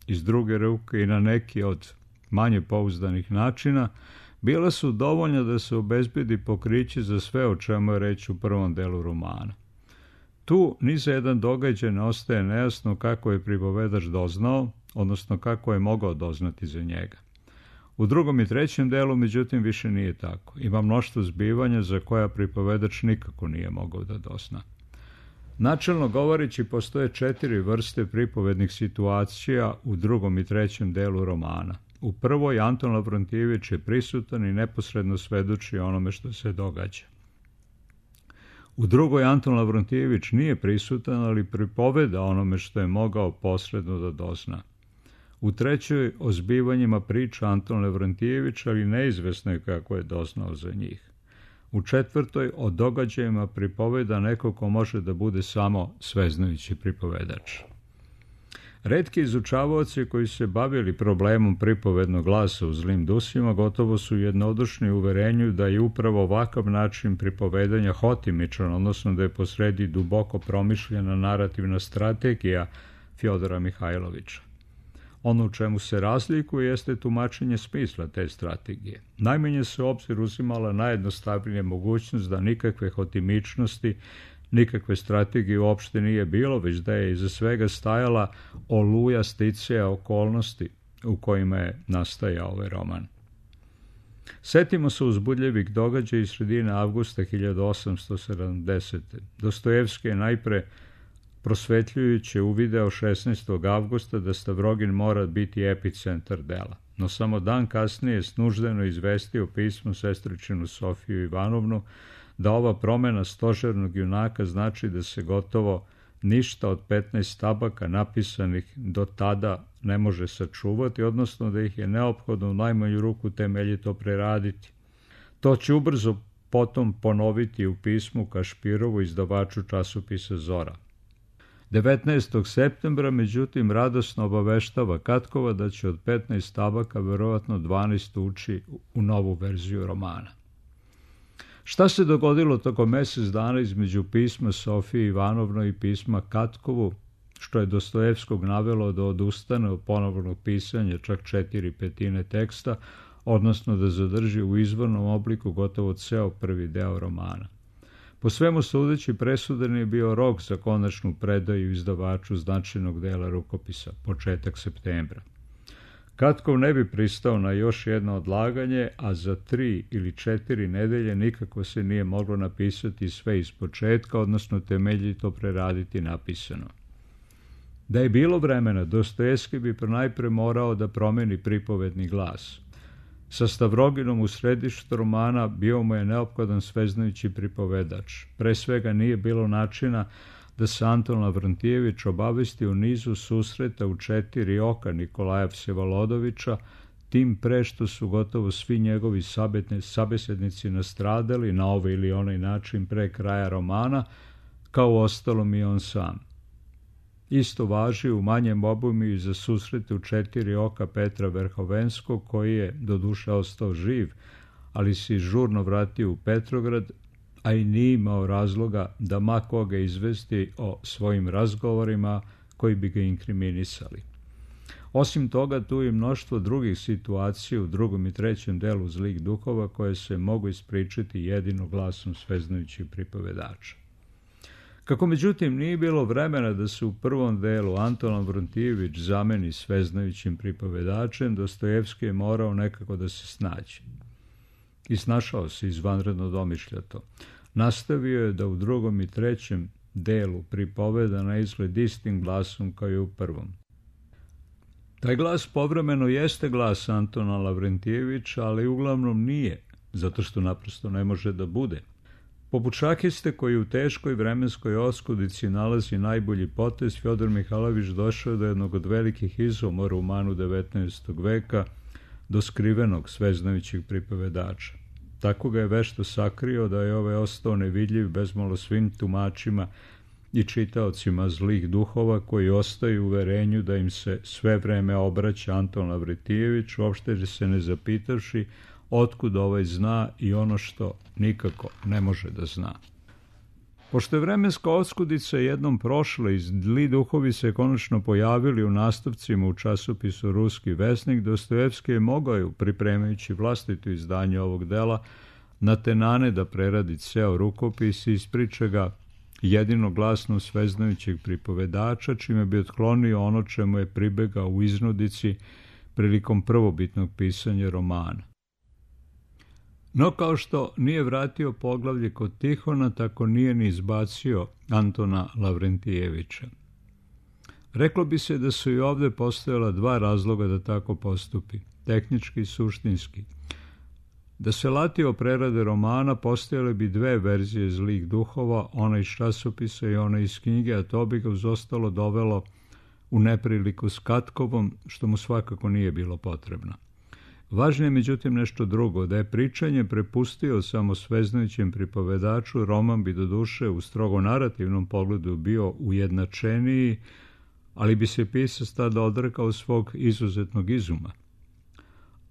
iz druge ruke i na neki od manje pouzdanih načina, bila su dovoljna da se obezbedi pokriće za sve o čemu je reč u prvom delu romana. Tu ni za jedan događaj ne ostaje nejasno kako je pripovedač doznao, odnosno kako je mogao doznati za njega. U drugom i trećem delu, međutim, više nije tako. Ima mnoštvo zbivanja za koja pripovedač nikako nije mogao da dozna. Načelno govoreći, postoje četiri vrste pripovednih situacija u drugom i trećem delu romana. U prvoj Anton Lavrontijević je prisutan i neposredno svedoči onome što se događa. U drugoj Anton Lavrontijević nije prisutan, ali pripoveda onome što je mogao posredno da dozna. U trećoj o zbivanjima priča Anton Lavrontijević, ali neizvesno je kako je doznao za njih. U četvrtoj o događajima pripoveda neko ko može da bude samo sveznajući pripovedač. Retki izučavaoci koji su se bavili problemom pripovednog glasa u Zlim dusima gotovo su jednodušni u uverenju da je upravo ovakav način pripovedanja hotimičan, odnosno da je posredi duboko promišljena narativna strategija Fjodora Mihajlovića. Ono u čemu se razlikuje jeste tumačenje smisla te strategije. Najmanje se u obzir uzimala najjednostavnija mogućnost da nikakve hotimičnosti, nikakve strategije uopšte nije bilo, već da je iza svega stajala oluja sticaja okolnosti u kojima je nastajao ovaj roman. Setimo se uzbudljivih događaja iz sredine avgusta hiljadu osamsto sedamdesete. Dostojevski je najpre prosvetljujuće uvideo šesnaestog avgusta da Stavrogin mora biti epicentar dela, no samo dan kasnije snuždeno izvestio pismo sestričinu Sofiju Ivanovnu da ova promena stožernog junaka znači da se gotovo ništa od petnaest tabaka napisanih do tada ne može sačuvati, odnosno da ih je neophodno u najmanju ruku temeljito preraditi. To će ubrzo potom ponoviti u pismu Kašpirovu, izdavaču časopisa Zora. devetnaestog septembra, međutim, radosno obaveštava Katkova da će od petnaest tabaka verovatno dvanaest ući u novu verziju romana. Šta se dogodilo tokom mjesec dana između pisma Sofije Ivanovno i pisma Katkovu, što je Dostojevskog navelo da odustane od ponovnog pisanja čak četiri petine teksta, odnosno da zadrži u izvornom obliku gotovo ceo prvi deo romana? Po svemu sudeći, presudan je bio rok za konačnu predaju izdavaču značajnog dela rukopisa, početak septembra. Katkov ne bi pristao na još jedno odlaganje, a za tri ili četiri nedelje nikako se nije moglo napisati sve iz početka, odnosno temeljito preraditi napisano. Da je bilo vremena, Dostojevski bi najpre morao da promeni pripovedni glas. Sa Stavroginom u središtu romana bio mu je neophodan sveznajući pripovedač. Pre svega nije bilo načina da se Anton Lavrantijević obavesti o nizu susreta u četiri oka Nikolaja Vsevolodovića, tim pre što su gotovo svi njegovi sabesednici nastradali na ovaj ili onaj način pre kraja romana, kao ostalom i on sam. Isto važi u manjem obimu i za susrete u četiri oka Petra Verhovenskog, koji je doduše ostao živ, ali se žurno vratio u Petrograd, a i nije imao razloga da ma koga izvesti o svojim razgovorima koji bi ga inkriminisali. Osim toga, tu je mnoštvo drugih situacija u drugom i trećem delu Zlih duhova koje se mogu ispričati jedino glasom sveznajućih pripovedača. Kako međutim nije bilo vremena da se u prvom delu Anton Lavrantijević zameni sveznajućim pripovedačem, Dostojevski je morao nekako da se snađe. I snašao se izvanredno domišljato. Nastavio je da u drugom i trećem delu pripoveda na izgled istim glasom kao i u prvom. Taj glas povremeno jeste glas Antona Lavrantijevića, ali uglavnom nije, zato što naprosto ne može da bude. Poput šahiste koji u teškoj vremenskoj oskudici nalazi najbolji potez, Fjodor Mihajlović došao do jednog od velikih izuma u romanu devetnaestog veka, do skrivenog sveznajućih pripovedača. Tako ga je vešto sakrio da je ovaj ostao nevidljiv bezmalo svim tumačima i čitaocima Zlih duhova, koji ostaju u uverenju da im se sve vreme obraća Anton Lavrantijević, uopšte se ne zapitavši otkud ovaj zna i ono što nikako ne može da zna. Pošto je vremenska oskudica jednom prošla i Zli duhovi se konačno pojavili u nastavcima u časopisu Ruski vesnik, Dostojevski je mogao, pripremajući vlastito izdanje ovog dela, na tenane da preradi ceo rukopis i ispriča ga jedinoglasno sveznajućeg pripovedača, čime bi otklonio ono čemu je pribegao u iznudici prilikom prvobitnog pisanja romana. No, kao što nije vratio poglavlje kod Tihona, tako nije ni izbacio Antona Lavrantijevića. Reklo bi se da su i ovde postojala dva razloga da tako postupi, tehnički i suštinski. Da se latio prerade romana, postojale bi dve verzije Zlih duhova, ona iz časopisa i ona iz knjige, a to bi ga uz ostalo dovelo u nepriliku s Katkovom, što mu svakako nije bilo potrebno. Važno je međutim nešto drugo, da je pričanje prepustio samo sveznajućem pripovedaču, roman bi doduše u strogo narativnom pogledu bio ujednačeniji, ali bi se pisac tada odrekao svog izuzetnog izuma.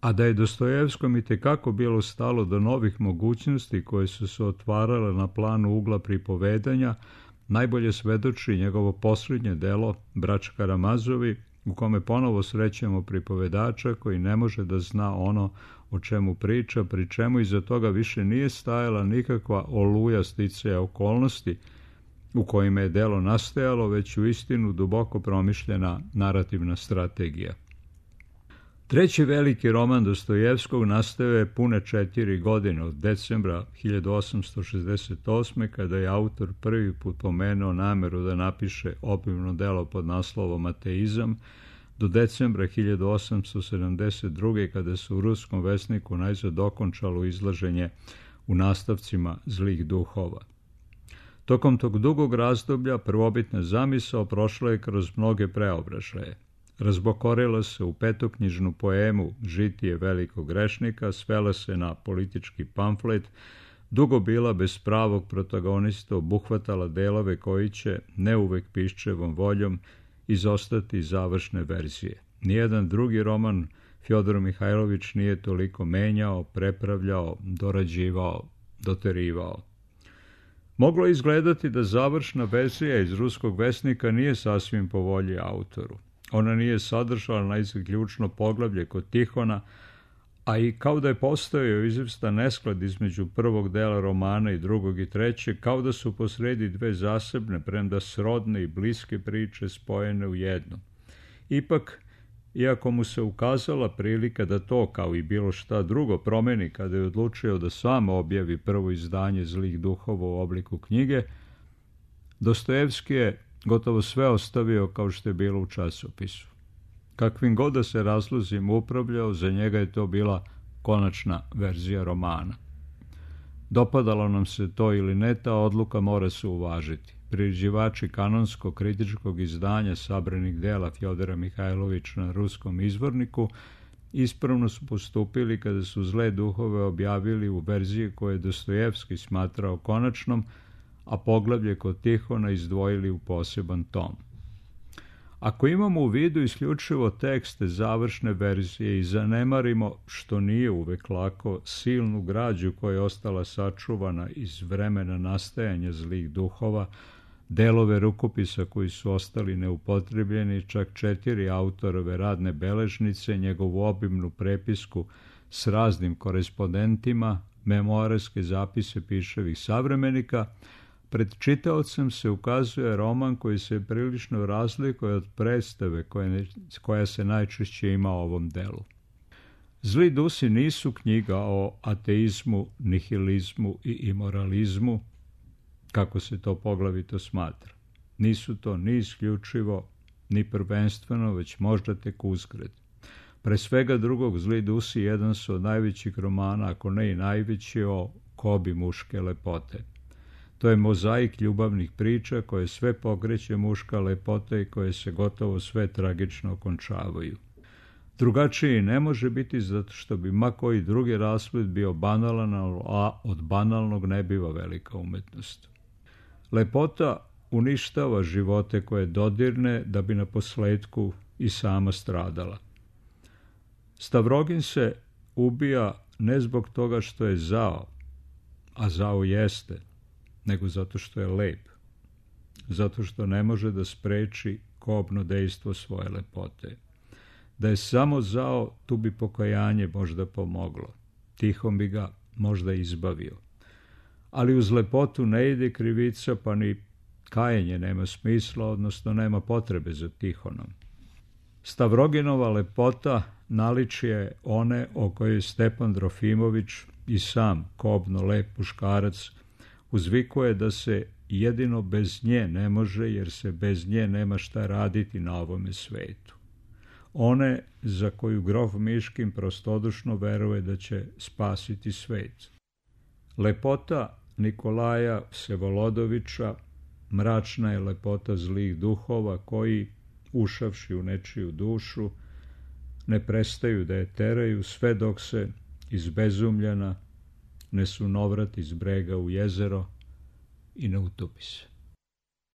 A da je Dostojevskom i tekako bilo stalo do novih mogućnosti koje su se otvarale na planu ugla pripovedanja, najbolje svedoči njegovo posljednje delo Braća Karamazovi, u kome ponovo srećemo pripovedača koji ne može da zna ono o čemu priča, pri čemu iza toga više nije stajala nikakva oluja sticaja okolnosti u kojima je delo nastajalo, već u istinu duboko promišljena narativna strategija. Treći veliki roman Dostojevskog nastao je pune četiri godine, od decembra hiljadu osamsto šezdeset osme. kada je autor prvi put pomenuo nameru da napiše opimno delo pod naslovom Ateizam, do decembra hiljadu osamsto sedamdeset druge. kada se u Ruskom vesniku najzad okončalo izlaženje u nastavcima Zlih duhova. Tokom tog dugog razdoblja prvobitna zamisao prošla je kroz mnoge preobražaje. Razbokorila se u petoknjižnu poemu Žitije velikog grešnika, svela se na politički pamflet, dugo bila bez pravog protagonista, obuhvatala delove koji će, ne uvek piščevom voljom, izostati završne verzije. Nijedan drugi roman Fjodor Mihajlović nije toliko menjao, prepravljao, dorađivao, doterivao. Moglo je izgledati da završna verzija iz Ruskog vesnika nije sasvim po volji autoru. Ona nije sadržala najzad ključno poglavlje kod Tihona, A i kao da je postojao izvestan nesklad između prvog dela romana i drugog i trećeg, kao da su posredi dve zasebne, premda srodne i bliske priče spojene u jednu. Ipak, iako mu se ukazala prilika da to, kao i bilo šta drugo, promeni kada je odlučio da sam objavi prvo izdanje Zlih duhova u obliku knjige, Dostojevski je gotovo sve ostavio kao što je bilo u časopisu. Kakvim god da se razlozima upravljao, za njega je to bila konačna verzija romana. Dopadalo nam se to ili ne, ta odluka mora se uvažiti. Priređivači kanonskog kritičkog izdanja sabranih dela Fjodora Mihajlovića na ruskom izvorniku ispravno su postupili kada su Zle duhove objavili u verziji koje je Dostojevski smatrao konačnom, a poglavlje kod Tihona izdvojili u poseban tom. Ako imamo u vidu isključivo tekste završne verzije i zanemarimo, što nije uvek lako, silnu građu koja je ostala sačuvana iz vremena nastajanja Zlih duhova, delove rukopisa koji su ostali neupotrebljeni, čak četiri autorove radne beležnice, njegovu obimnu prepisku s raznim korespondentima, memoarske zapise piševih savremenika, pred čitaocem se ukazuje roman koji se prilično razlikuje od predstave koja, koja se najčešće ima o ovom delu. Zli dusi nisu knjiga o ateizmu, nihilizmu i imoralizmu, kako se to poglavito smatra. Nisu to ni isključivo, ni prvenstveno, već možda tek uzgred. Pre svega drugog, Zli dusi jedan su od najvećih romana, ako ne i najveći, o kobi muške lepote. To je mozaik ljubavnih priča koje sve pokreće muška lepota i koje se gotovo sve tragično okončavaju. Drugačiji ne može biti zato što bi ma koji drugi rasplet bio banalan, a od banalnog ne biva velika umetnost. Lepota uništava živote koje dodirne da bi na posledku i sama stradala. Stavrogin se ubija ne zbog toga što je zao, a zao jeste, nego zato što je lep, zato što ne može da spreči kobno dejstvo svoje lepote. Da je samo zao, tu bi pokajanje možda pomoglo. Tihon bi ga možda izbavio. Ali uz lepotu ne ide krivica, pa ni kajenje nema smisla, odnosno nema potrebe za Tihonom. Stavroginova lepota naličje one o kojoj Stepan Drofimović i sam kobno lep muškarac uzvikuje da se jedino bez nje ne može, jer se bez nje nema šta raditi na ovome svetu. One za koju grof Miškin prostodušno veruje da će spasiti svet. Lepota Nikolaja Vsevolodovića mračna je lepota zlih duhova koji, ušavši u nečiju dušu, ne prestaju da je teraju sve dok se izbezumljena ne sunovrat iz brega u jezero i ne utopi se.